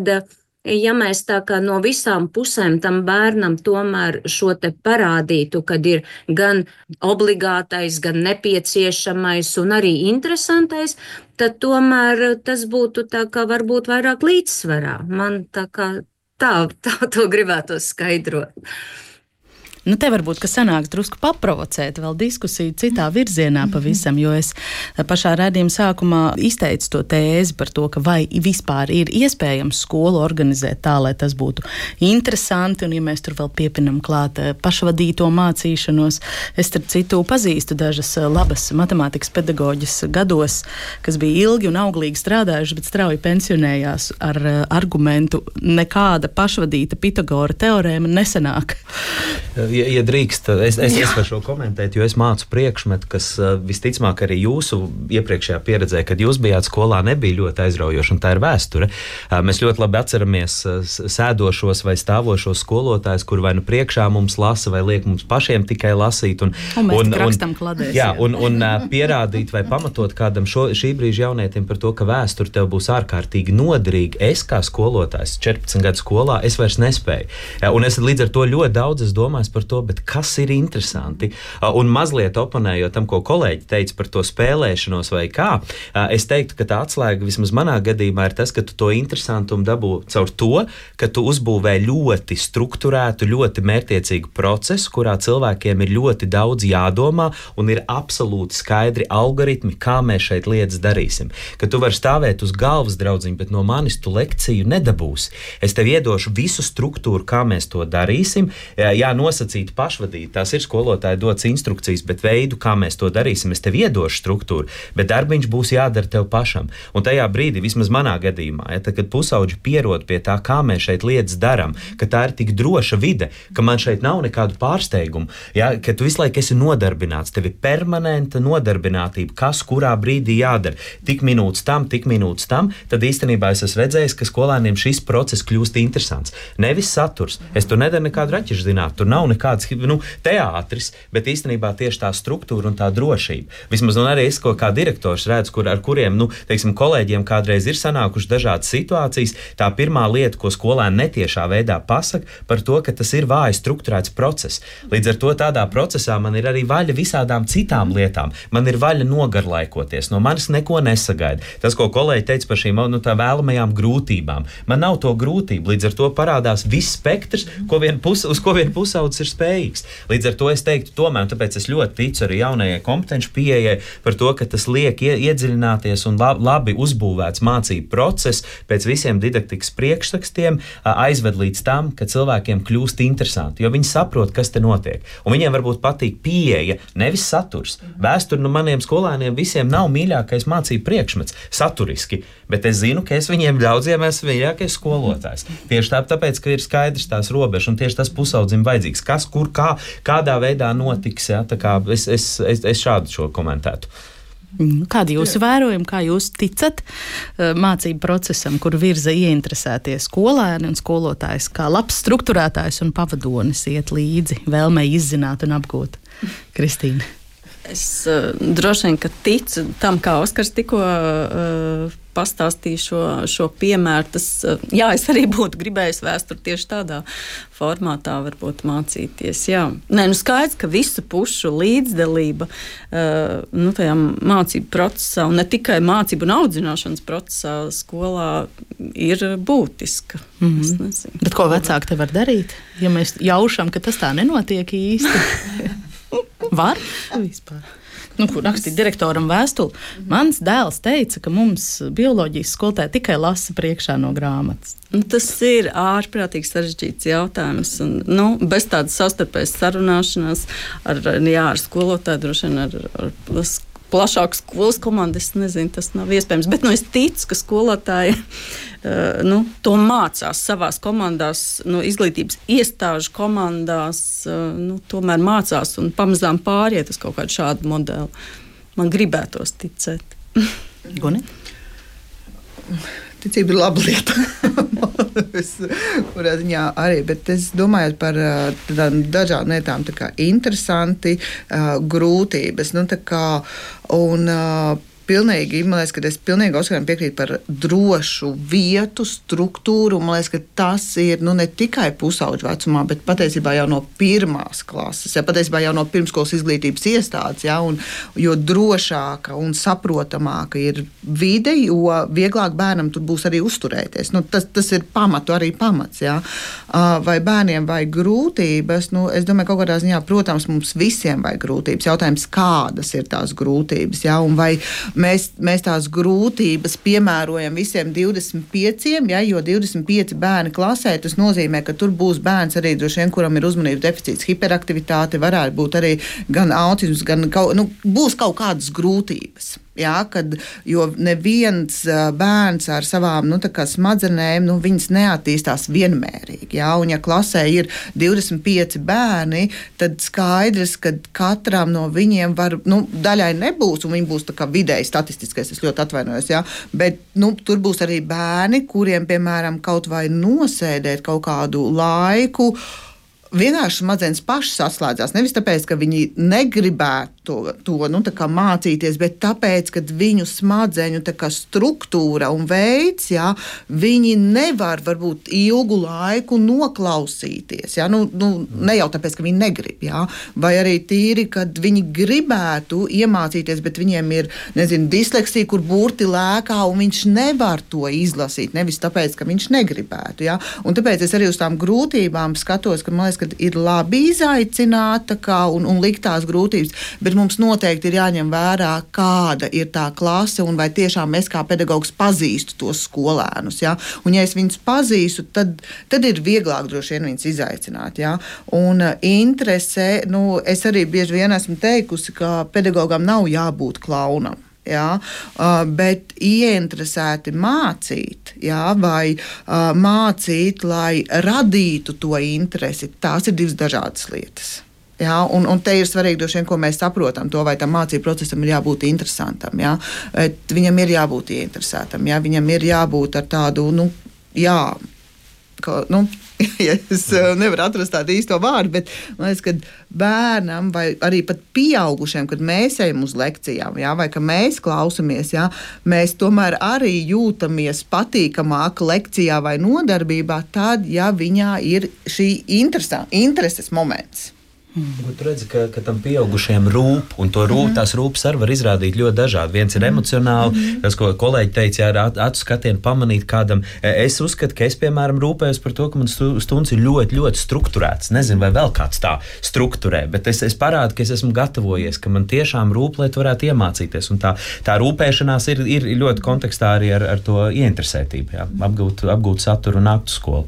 ja mēs tā kā no visām pusēm tam bērnam tomēr šo te parādītu, kad ir gan obligātais, gan nepieciešamais un arī interesantais, tad tomēr tas būtu tā kā varbūt vairāk līdzsvarā. Man tā kā Tā to gribētos skaidrot. Nu, te varbūt, ka sanāks drusku paprovocēt vēl diskusiju citā virzienā pavisam, jo es pašā raidījuma sākumā izteicu to tēzi par to, ka vai vispār ir iespējams skolu organizēt tā, lai tas būtu interesanti, un ja mēs tur vēl piepinam klāt pašvadīto mācīšanos, es starp citu pazīstu dažas labas matemātikas pedagoģas gados, kas bija ilgi un auglīgi strādājuši, bet strauji pensionējās ar argumentu nekāda pašvadīta Pitagora teorēma nesanāk. Ja drīkst, es varu šo komentēt, jo es mācu priekšmetu, kas visticamāk arī jūsu iepriekšējā pieredzē, kad jūs bijāt skolā, nebija ļoti aizraujoša, un tā ir vēsture. Mēs ļoti labi atceramies sēdošos vai stāvošos skolotājus, kur vai nu priekšā mums lasa, vai liek mums pašiem tikai lasīt. Un mēs rakstam kladēs. Jā, un pierādīt vai pamatot kādam šī brīža jaunietim par to, ka vēsture tev būs ārkārtīgi noderīga. Es kā skolotājs 14 gadu skolā, es vairs nespēju. Un es līdz ar to ļoti daudz domāju par to, bet kas ir interesanti? Un mazliet oponējot tam, ko kolēģi teica par to spēlēšanos vai kā, es teiktu, ka tā atslēga vismaz manā gadījumā ir tas, ka tu to interesantumu dabū caur to, ka tu uzbūvē ļoti strukturētu, ļoti mērķtiecīgu procesu, kurā cilvēkiem ir ļoti daudz jādomā un ir absolūti skaidri algoritmi, kā mēs šeit lietas darīsim. Ka tu vari stāvēt uz galvas, draudziņ, bet no manis tu lekciju nedabūsi. Es tev iedošu visu struktūru, kā mēs to darīsim. Jā, nosacīt pašvadīt, tās ir skolotāji dots instrukcijas, bet veidu, kā mēs to darīsim, es tev iedošu struktūru, bet darbiņš būs jādara tev pašam. Un tajā brīdī, vismaz manā gadījumā, ja, tad, kad pusauģi pierod pie tā, kā mēs šeit lietas daram, ka tā ir tik droša vide, ka man šeit nav nekādu pārsteigumu, ja, ka tu visu laiku esi nodarbināts, tev ir permanenta nodarbinātība, kas kurā brīdī jādara. Tik minūtes tam, tad īstenībā es esmu redzējis, ka skolēniem šis process kļūst interesants. Nevis saturs. Es tur nedaru nekādu raķešu zināt. Tur nav nekāds teātris, bet īstenībā tieši tā struktūra un tā drošība. Vismaz arī es, kā direktors redzu, ar kuriem, teiksim, kolēģiem kādreiz ir sanākušas dažādas situācijas, tā pirmā lieta, ko skolēni netiešā veidā pasaka, par to, ka tas ir vāji strukturēts process. Līdz ar to tādā procesā man ir arī vaļa visādām citām lietām. Man ir vaļa nogarlaikoties, no manis neko nesagaida. Tas, ko kolēģi teica par šīm tā vēlamajām grūtībām. Man nav to grūtību, līdz ar to parādās viss spektrs, uz ko vien pusaudzis ir spējīgs. Līdz ar to es teiktu tomēr, tāpēc es ļoti ticu arī jaunajai kompetenci pieejai par to, ka tas liek iedziļināties un labi uzbūvēts mācību process pēc visiem didaktikas priekšrakstiem aizved līdz tam, ka cilvēkiem kļūst interesanti, jo viņi saprot, kas te notiek. Un viņiem varbūt patīk pieeja, nevis saturs. Vēsture maniem skolēniem visiem nav mīļākais mācību priekšmets saturiski, bet es zinu, ka es viņiem daudziem esmu mīļākais skolotājs. Tieši tāpēc, ka ir skaidrs tās robežas un tieši tas pusaudzim vajadzīgs. Kas, kur, kādā veidā notiks, ja? Tā kā es šādu šo komentētu. Kādi jūsu vērojumi, kā jūs ticat mācību procesam, kur virza ieinteresētie skolēni un skolotājs, kā labs strukturētājs un pavadonis iet līdzi vēlmei izzināt un apgūt? Kristīna. Es droši vien, ka ticu tam, kā Oskars tikko pastāstīja šo piemēru. Jā, es arī būtu gribējis vēsturi tieši tādā formātā varbūt mācīties. Jā. Nē, skaidrs, ka visu pušu līdzdalība tajā mācību procesā, un ne tikai mācību un audzināšanas procesā skolā ir būtiska. Mm-hmm. Bet ko vecāki te var darīt, ja mēs jaušam, ka tas tā nenotiek īsti? Var? Vispār. Kur rakstīt direktoram vēstuli. Mans dēls teica, ka mums bioloģijas skolotāji tikai lasa priekšā no grāmatas. Tas ir ārprātīgi sarežģīts jautājums. Un, bez tādas savstarpējas sarunāšanās ar skolotāju, droši vien ar plašāku skolas komandu, es nezinu, tas nav iespējams. Bet es ticu, ka skolotāji to mācās savās komandās, izglītības iestāžu komandās, tomēr mācās un pamazām pāriet uz kaut kādu šādu modeli. Man gribētos ticēt. Guni? Ticība ir laba lieta. Kurā ziņā arī, bet es domāju par dažādām lietām, tā kā interesanti, grūtības, pilnīgi, man liekas, ka es pilnīgi Oskaram piekrītu par drošu vietu, struktūru. Man liekas, ka tas ir ne tikai pusauģu vecumā, bet patiesībā jau no pirmās klases, patiesībā jau no pirmskolas izglītības iestādes, un jo drošāka un saprotamāka ir vide, jo vieglāk bērnam tur būs arī uzturēties. Tas ir arī pamats. Vai bērniem vajag grūtības? Es domāju, kaut kādā ziņā, protams, mums visiem vajag grūtības. Jautājums, kādas ir tās grūtības, un vai mēs tās grūtības piemērojam visiem 25, jo 25 bērni klasē, tas nozīmē, ka tur būs bērns arī droši vien, kuram ir uzmanības deficīts, hiperaktivitāte, varētu būt arī gan autisms, gan būs kaut kādas grūtības. Jo neviens bērns ar savām smadzenēm, viņas neattīstās vienmērīgi. Un ja klasē ir 25 bērni, tad skaidrs, ka katram no viņiem var, daļai nebūs, un viņi būs tā kā vidēji statistiskais, es ļoti atvainojos, bet tur būs arī bērni, kuriem, piemēram, kaut vai nosēdēt kaut kādu laiku, vienkārši smadzenes pašas atslēdzās. Nevis tāpēc, ka viņi negribētu to mācīties, bet tāpēc, ka viņu smadzeņu struktūra un veids, viņi nevar varbūt ilgu laiku noklausīties. Ne jau tāpēc, ka viņi negrib, vai arī tīri, kad viņi gribētu iemācīties, bet viņiem ir, disleksija, kur burti lēkā, un viņš nevar to izlasīt. Nevis tāpēc, ka viņš negribētu. Un tāpēc es arī uz tām grūtībām skatos, ka man liekas, ka ir labi izaicināt un likt tās grūtības, bet mums noteikti ir jāņem vērā, kāda ir tā klase un vai tiešām es kā pedagogs pazīstu tos skolēnus. Un ja es viņus pazīstu, tad ir vieglāk droši vien viņus izaicināt. Un interese, es arī bieži vien esmu teikusi, ka pedagogam nav jābūt klaunam. Bet ieinteresēti mācīt, vai mācīt, lai radītu to interesi, tās ir divas dažādas lietas. Un te ir svarīgi, droši vien, ko mēs saprotam, to, vai tam mācību procesam ir jābūt interesantam. Viņam ir jābūt ieinteresētam, viņam ir jābūt ar tādu, es nevaru atrast tādu īsto vārdu, bet man liekas, ka bērnam vai arī pat pieaugušiem, kad mēs ejam uz lekcijām, vai ka mēs klausamies, mēs tomēr arī jūtamies patīkamāk lekcijā vai nodarbībā, tad, ja viņā ir šī intereses moments. Tu redzi, ka tam pieaugušiem rūp, un tās rūpes arī var izrādīt ļoti dažādi. Viens ir emocionāli, tas, ko kolēģi teica, ar acu skatienu pamanīt kādam. Es uzskatu, ka es, piemēram, rūpējos par to, ka man stundas ir ļoti, ļoti strukturēts. Nezinu, vai vēl kāds tā strukturē, bet es parādu, ka es esmu gatavojies, ka man tiešām rūp, lai tu varētu iemācīties. Un tā rūpēšanās ir ļoti kontekstā arī ar to ieinteresētību, apgūt saturu un nākt uz skolu.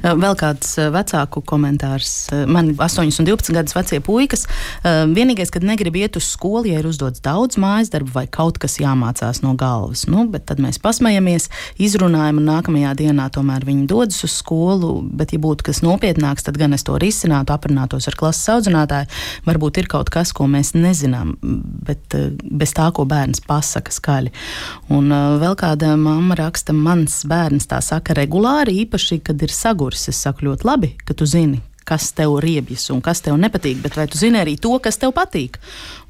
Vēl kāds vecāku komentārs. Man 8 un 12 gadus vecie puikas. Vienīgais, kad negrib iet uz skolu, ja ir uzdots daudz mājas darbu vai kaut kas jāmācās no galvas. Bet tad mēs pasmejamies, izrunājam, un nākamajā dienā tomēr viņi dodas uz skolu. Bet, ja būtu kas nopietnāks, tad gan es to risinātu, aprunātos ar klases audzinātāju. Varbūt ir kaut kas, ko mēs nezinām, bet bez tā, ko bērns pasaka skaļi. Un vēl kāda mamma raksta, mans bērns tā saka regulāri, īpaši, kad ir saguris. Es saku ļoti labi, ka tu zini, kas tev riebjas un kas tev nepatīk, bet vai tu zini arī to, kas tev patīk?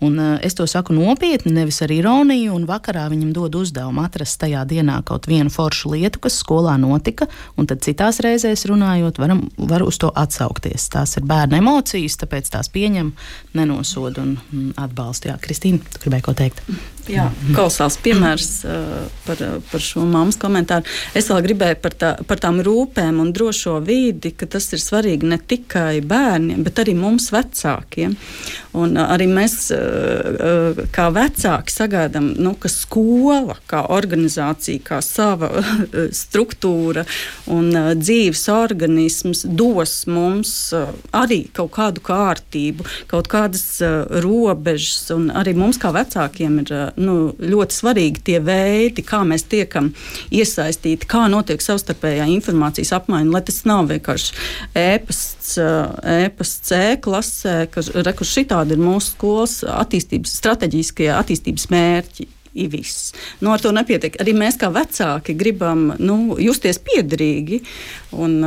Un es to saku nopietni, nevis ar ironiju, un vakarā viņam dod uzdevumu atrast tajā dienā kaut vienu foršu lietu, kas skolā notika, un tad citās reizēs runājot, var uz to atsaukties. Tās ir bērna emocijas, tāpēc tās pieņem, nenosod un atbalsta. Jā, Kristīna, tu gribēji ko teikt? Jā, kolosāls piemērs par šo mammas komentāru. Es vēl gribēju par tām rūpēm un drošo vidi, ka tas ir svarīgi ne tikai bērniem, bet arī mums vecākiem. Un arī mēs kā vecāki sagaidām, ka skola, kā organizācija, kā sava struktūra un dzīves organisms dos mums arī kaut kādu kārtību, kaut kādas robežas, un arī mums kā vecākiem ir ļoti svarīgi tie veidi, kā mēs tiekam iesaistīti, kā notiek savstarpējā informācijas apmaiņa, lai tas nav vienkārši ēpasts klasē, ka šitādi ir mūsu skolas strateģiskie attīstības mērķi. Viss. Ar to nepietiek. Arī mēs kā vecāki gribam justies piederīgi un,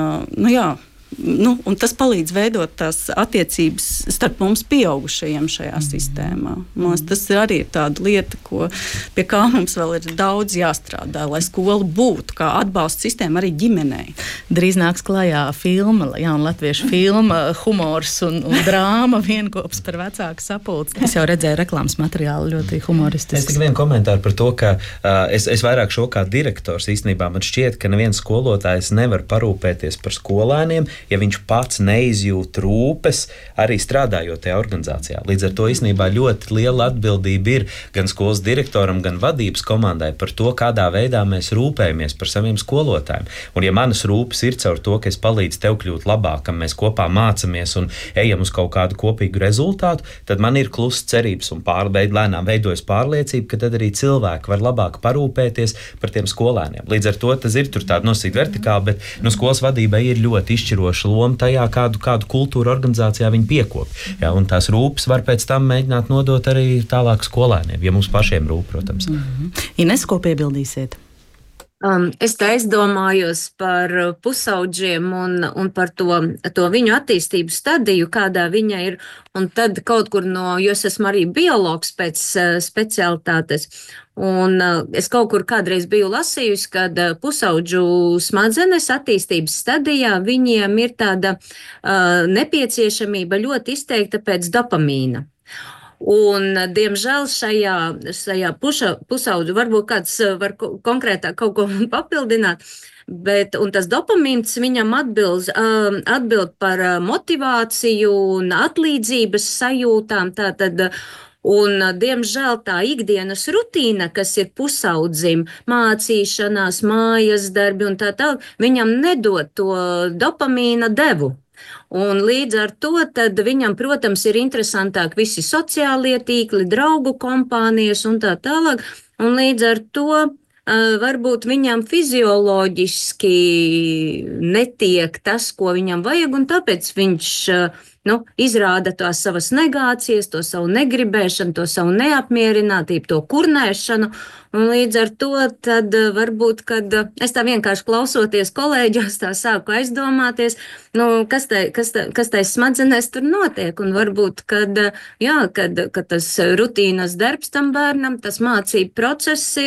Un tas palīdz veidot tās attiecības starp mums pieaugušajiem šajā sistēmā. Tas arī ir tāda lieta, pie kā mums vēl ir daudz jāstrādā, lai skola būtu kā atbalsta sistēma arī ģimenei. Drīz nāks klajā filma, jauna latviešu filma, humors un drāma vienkops par vecāku sapulci. Es jau redzēju reklāmas materiālu, ļoti humoristisks. Es tikai vienu komentāru par to, ka es vairāk šo kā direktors īstenībā man šķiet, ka neviens skolotājs nevar parūpēties par skolēniem, ja viņš pats neizjūt rūpes arī strādājot tajā organizācijā. Līdz ar to īstenībā ļoti liela atbildība ir gan skolas direktoram, gan vadības komandai par to, kādā veidā mēs rūpējamies par saviem skolotājiem. Un ja manas rūpes ir caur to, ka es palīdzu tev kļūt labākam, mēs kopā mācamies un ejam uz kaut kādu kopīgu rezultātu, tad man ir klusa cerības un lēnām veidojas pārliecība, ka tad arī cilvēki var labāk parūpēties par tiem skolēniem. Līdz ar to tas ir tur tāda nosacīta vertikāla, bet skolas vadībai ir ļoti izšķiroša loma tajā, kādu kultūru organizācijā viņi piekop. Ja, un tās rūpes var pēc tam mēģināt nodot arī tālāk skolēniem, ja mums pašiem rūp, protams. Ines, ko piebildīsiet? Es tā aizdomājos par pusaudžiem un par to viņu attīstības stadiju, kādā viņa ir. Un tad kaut kur jo es esmu arī biologs pēc specialitātes. Un es kaut kur kādreiz biju lasījusi, kad pusaudžu smadzenes attīstības stadijā viņiem ir tāda nepieciešamība ļoti izteikta pēc dopamīna. Un, diemžēl, šajā pusaudžu varbūt kāds var konkrētāk kaut ko papildināt, un tas dopamīns viņam atbild par motivāciju un atlīdzības sajūtām, tātad. Un, diemžēl, tā ikdienas rutīna, kas ir pusaudzim, mācīšanās, mājas darbi un tā tālāk, viņam nedod to dopamīna devu. Un līdz ar to tad viņam, protams, ir interesantāk visi sociālie tīkli, draugu kompānijas un tā tālāk. Un līdz ar to varbūt viņam fizioloģiski netiek tas, ko viņam vajag, un tāpēc viņš izrāda tās savas negācijas, to savu negribēšanu, to savu neapmierinātību, to kurnēšanu. Un līdz ar to tad varbūt, kad es tā vienkārši klausoties kolēģos, tā sāku aizdomāties, kas tai smadzenēs tur notiek. Un varbūt, kad tas rutīnas darbs tam bērnam, tas mācību process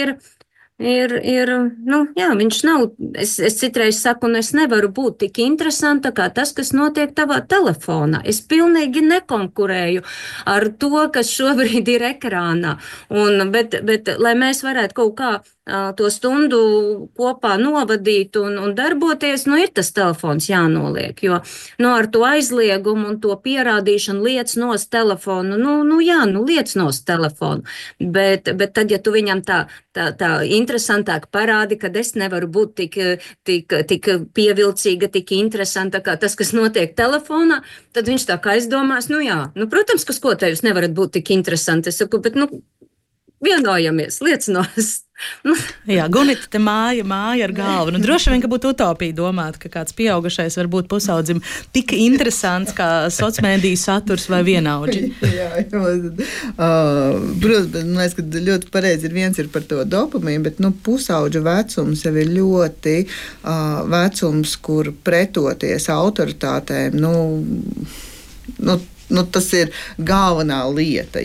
viņš nav, es citreiz saku, es nevaru būt tik interesanta kā tas, kas notiek tavā telefonā. Es pilnīgi nekonkurēju ar to, kas šobrīd ir ekrānā. Bet lai mēs varētu kaut kā to stundu kopā novadīt un darboties, ir tas telefons jānoliek, jo ar to aizliegumu un to pierādīšanu liec nost telefonu, liec nost telefonu, bet tad, ja tu viņam tā interesantāk parādi, kad es nevaru būt tik pievilcīga, tik interesanta kā tas, kas notiek telefonā, tad viņš tā kā aizdomās, protams, ka skotējus nevarat būt tik interesanti. Es saku, bet vienojamies, liec nost. Jā, Gunita, te māja ar galvu. Droši vien, ka būtu utopija domāt, ka kāds pieaugušais var būt pusaudzim tik interesants kā sociālmediju saturs vai vienaudži. Protams, bet man liekas, ka ļoti pareizi viens ir par to dopamīnu, bet pusauģa vecums jau ir ļoti vecums, kur pretoties autoritātēm, tas ir galvenā lieta,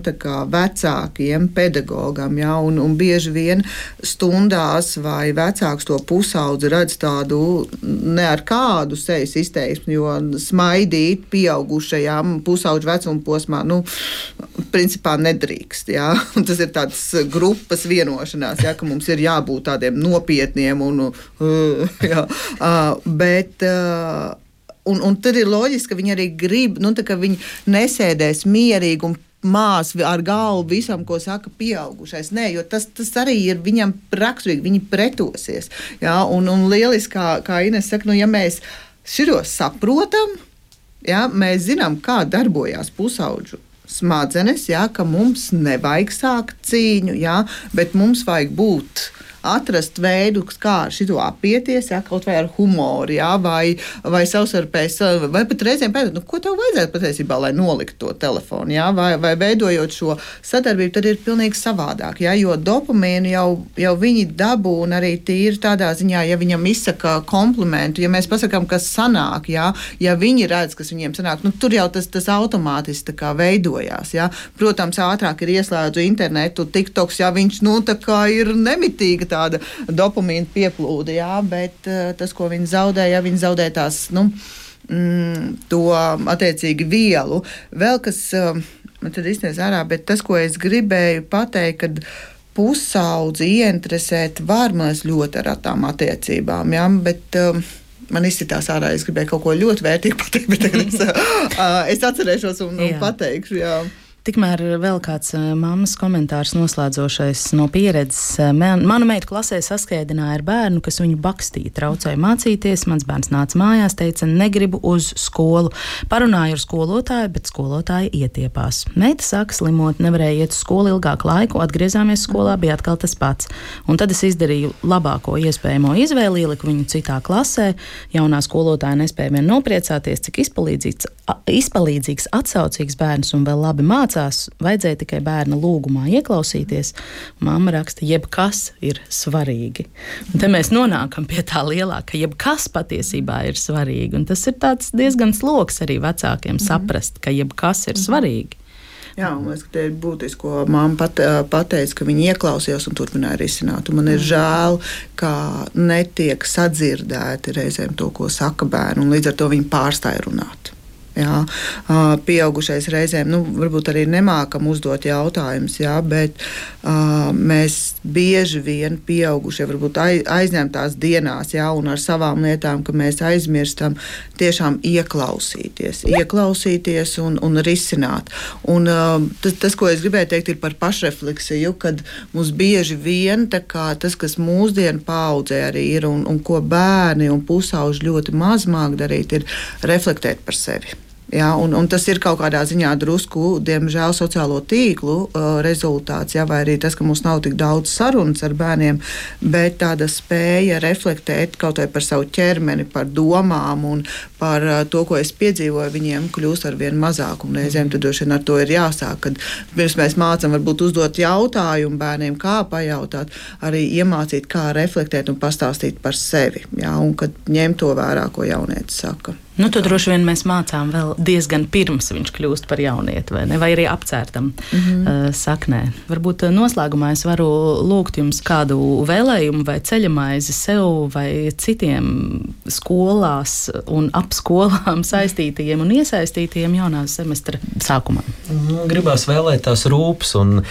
tā kā vecākiem, pedagogam, un bieži vien stundās vai vecāks to pusaudzi redz tādu ne ar kādu sejas izteiksmi, jo smaidīt pieaugušajām pusaudžu vecuma posmā, principā nedrīkst, un tas ir tāds grupas vienošanās, ka mums ir jābūt tādiem nopietniem bet Un tad ir loģiski, ka viņi arī grib, ka viņi nesēdēs mierīgi un mās ar galvu visam, ko saka pieaugušais. Nē, jo tas arī ir viņam raksturīgi, viņi pretosies. Un lieliski, kā Ines saka, ja mēs širos saprotam, mēs zinām, kā darbojās pusaudžu smadzenes, ka mums nevajag sākt cīņu, bet mums vajag būt atrast veidu, kā ar šito apieties, ja, kaut vai ar humoru, ja, vai savstarpēji, vai pat reizēm pēdot, ko tev vajadzētu patiesībā, lai noliktu to telefonu, ja, vai veidojot šo sadarbību, tad ir pilnīgi savādāk, ja, jo dopamīnu jau viņi dabūna arī tīri tādā ziņā, ja viņam izsaka komplimentu, ja mēs pasakām, kas sanāk, ja viņi redz, kas viņiem sanāk, tur jau tas automātiski tā kā veidojās, ja. Protams, ātrāk ir ieslēdzu internetu, TikToks, ja viņš, tā kā ir nemitīga tāda dopamīna pieplūde, ja, bet tas, ko viņi zaudē, ja viņi zaudē tās, to attiecīgi vielu. Vēl kas man tad izniedz ārā, bet tas, ko es gribēju pateikt, kad pusaudzi ieinteresēt var mēs ļoti ar tām attiecībām, ja, bet man izsitās ārā, es gribēju kaut ko ļoti vērtīgu pateikt, bet tagad es atcerēšos un pateikšu, jā. Tikmēr vēl kāds mammas komentārs noslēdzošais no pieredzes. Mana meita klasē saskaidināja ar bērnu, kas viņu bakstīja, traucēja mācīties. Mans bērns nāca mājās, teica, negribu uz skolu. Parunāju ar skolotāju, bet skolotāja ietiepās. Meita sāka slimot, nevarēja iet uz skolu ilgāku laiku, atgriezāmies skolā, bija atkal tas pats. Un tad es izdarīju labāko iespējamo izvēli, ieliku viņu citā klasē. Jaunā skolotāja nespēja vien nopriecāties, cik izpalīdzīgs, atsaucīgs bērns un vēl labi mācās. Vajadzēja tikai bērna lūgumā ieklausīties. Mamma raksta, jebkas ir svarīgi. Un te mēs nonākam pie tā lielā, ka jebkas patiesībā ir svarīgi. Un tas ir tāds diezgan sloks arī vecākiem saprast, ka jebkas ir svarīgi. Jā, un es, ka te ir būtiski, ko mamma pateica, ka viņi ieklausījās un turpināja risināt. Un man ir žēl, ka netiek sadzirdēti reizēm to, ko saka bērni, un līdz ar to viņi pārstāja runāt. Jā, pieaugušais reizēm, varbūt arī nemākam uzdot jautājumus, jā, bet mēs bieži vien pieaugušie varbūt aizņemtās dienās, jā, un ar savām lietām, ka mēs aizmirstam tiešām ieklausīties un risināt. Un tas, ko es gribēju teikt, ir par pašrefleksiju, kad mums bieži vien tā kā tas, kas mūsdienu paaudzē arī ir un ko bērni un pusauži ļoti maz māk darīt, ir reflektēt par sevi. Jā, un tas ir kaut kādā ziņā drusku, diemžēl, sociālo tīklu rezultāts, jā, vai arī tas, ka mums nav tik daudz sarunas ar bērniem, bet tāda spēja reflektēt kaut vai par savu ķermeni, par domām un par to, ko es piedzīvoju, viņiem kļūst ar vien mazāk. Un reizēm tad droši vien ar to ir jāsāk, kad pirms mēs mācām varbūt uzdot jautājumu bērniem, kā pajautāt, arī iemācīt, kā reflektēt un pastāstīt par sevi, jā, un kad ņemt to vērā, ko jaunietis saka. To droši vien mēs mācām vēl diezgan pirms viņš kļūst par jaunieti, vai ne? Vai arī apcērtam saknē. Varbūt noslēgumā es varu lūgt jums kādu vēlējumu vai ceļamaizi sev vai citiem skolās un ap skolām saistītajiem un iesaistītajiem jaunā semestra sākumā. Gribās vēlēt tās rūpes, un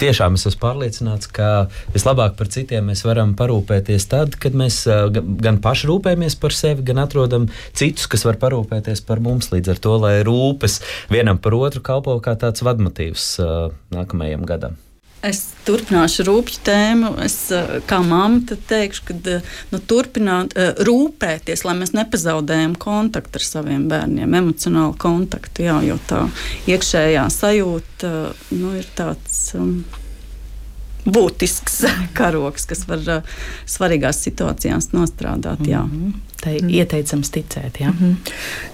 tiešām es esmu pārliecināts, ka vislabāk par citiem mēs varam parūpēties tad, kad mēs gan paši rūpējamies par sevi, gan atrodam citus, kas var parūpēties par mums, līdz ar to, lai rūpes vienam par otru kalpo kā tāds vadmotīvs nākamajam gadam. Es turpināšu rūpju tēmu. Es kā mamma teikšu, ka turpināt rūpēties, lai mēs nepazaudējam kontaktu ar saviem bērniem, emocionālu kontaktu, jā, jo tā iekšējā sajūta ir tāds būtisks karoks, kas var svarīgās situācijās nostrādāt. Jā. Tai ieteicams ticēt. Jā?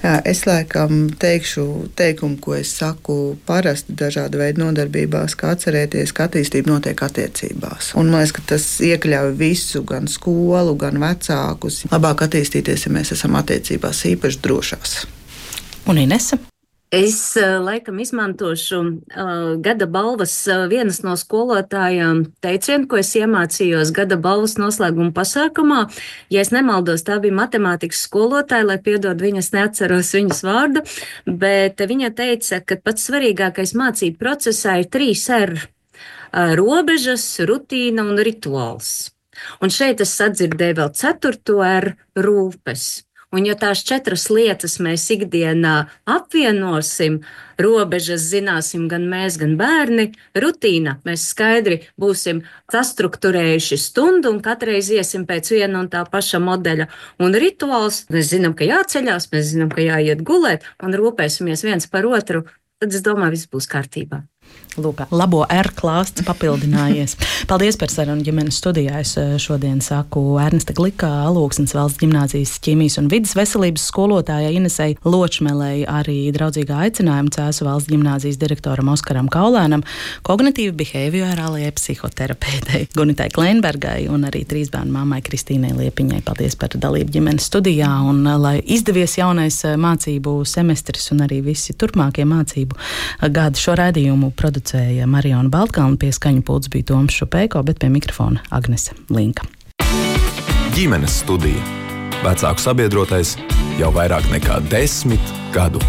Jā, es laikam teikšu teikumu, ko es saku parasti dažādu veidu nodarbībās, kā atcerēties, ka attīstība notiek attiecībās. Un man liekas, ka tas iekļauj visu, gan skolu, gan vecākus. Labāk attīstīties, ja mēs esam attiecībās īpaši drošās. Un Inese? Es laikam izmantošu gada balvas vienas no skolotājām teicienu, ko es iemācījos gada balvas noslēguma pasākumā. Ja es nemaldos, tā bija matemātikas skolotāja, lai piedod viņas, neatceros viņas vārdu, bet viņa teica, ka pats svarīgākais mācību procesā ir 3 R - robežas, rutīna un rituāls. Un šeit es sadzirdēju vēl 4. R - rūpes. Un ja tās 4 lietas mēs ikdienā apvienosim, robežas zināsim gan mēs, gan bērni, rutīna, mēs skaidri būsim sastrukturējuši stundu un katreiz iesim pēc viena un tā paša modeļa. Un rituāls, mēs zinām, ka jāceļās, mēs zinām, ka jāiet gulēt un rūpēsimies viens par otru, tad es domāju, viss būs kārtībā. Lūk, labo R klāsts papildinājies. Paldies par sarunu ģimenes studijā. Es šodien saku Ernesta Glikā, Alūksnes valsts ģimnāzijas ķīmijas un vidas veselības skolotājai Inesei Ločmelei, arī draudzīgā aicinājuma Cēsu valsts ģimnāzijas direktoram Oskaram Kaulēnam, kognitīvi behaviorālajai psihoterapeitei Gunitai Kleinbergai un arī 3 bērnu mammai Kristīnai Liepiņai. Paldies par dalību ģimenes studijā un lai izdevies jaunais mācību semestris un arī visi turpmākie mācību gadi. Šo raidījumu producēja Mariona Baltkalna, pie skaņu pults bija Toms Šupēko, bet pie mikrofona Agnese Linka. Ģimenes studija. Vecāku sabiedrotais jau vairāk nekā 10 gadu.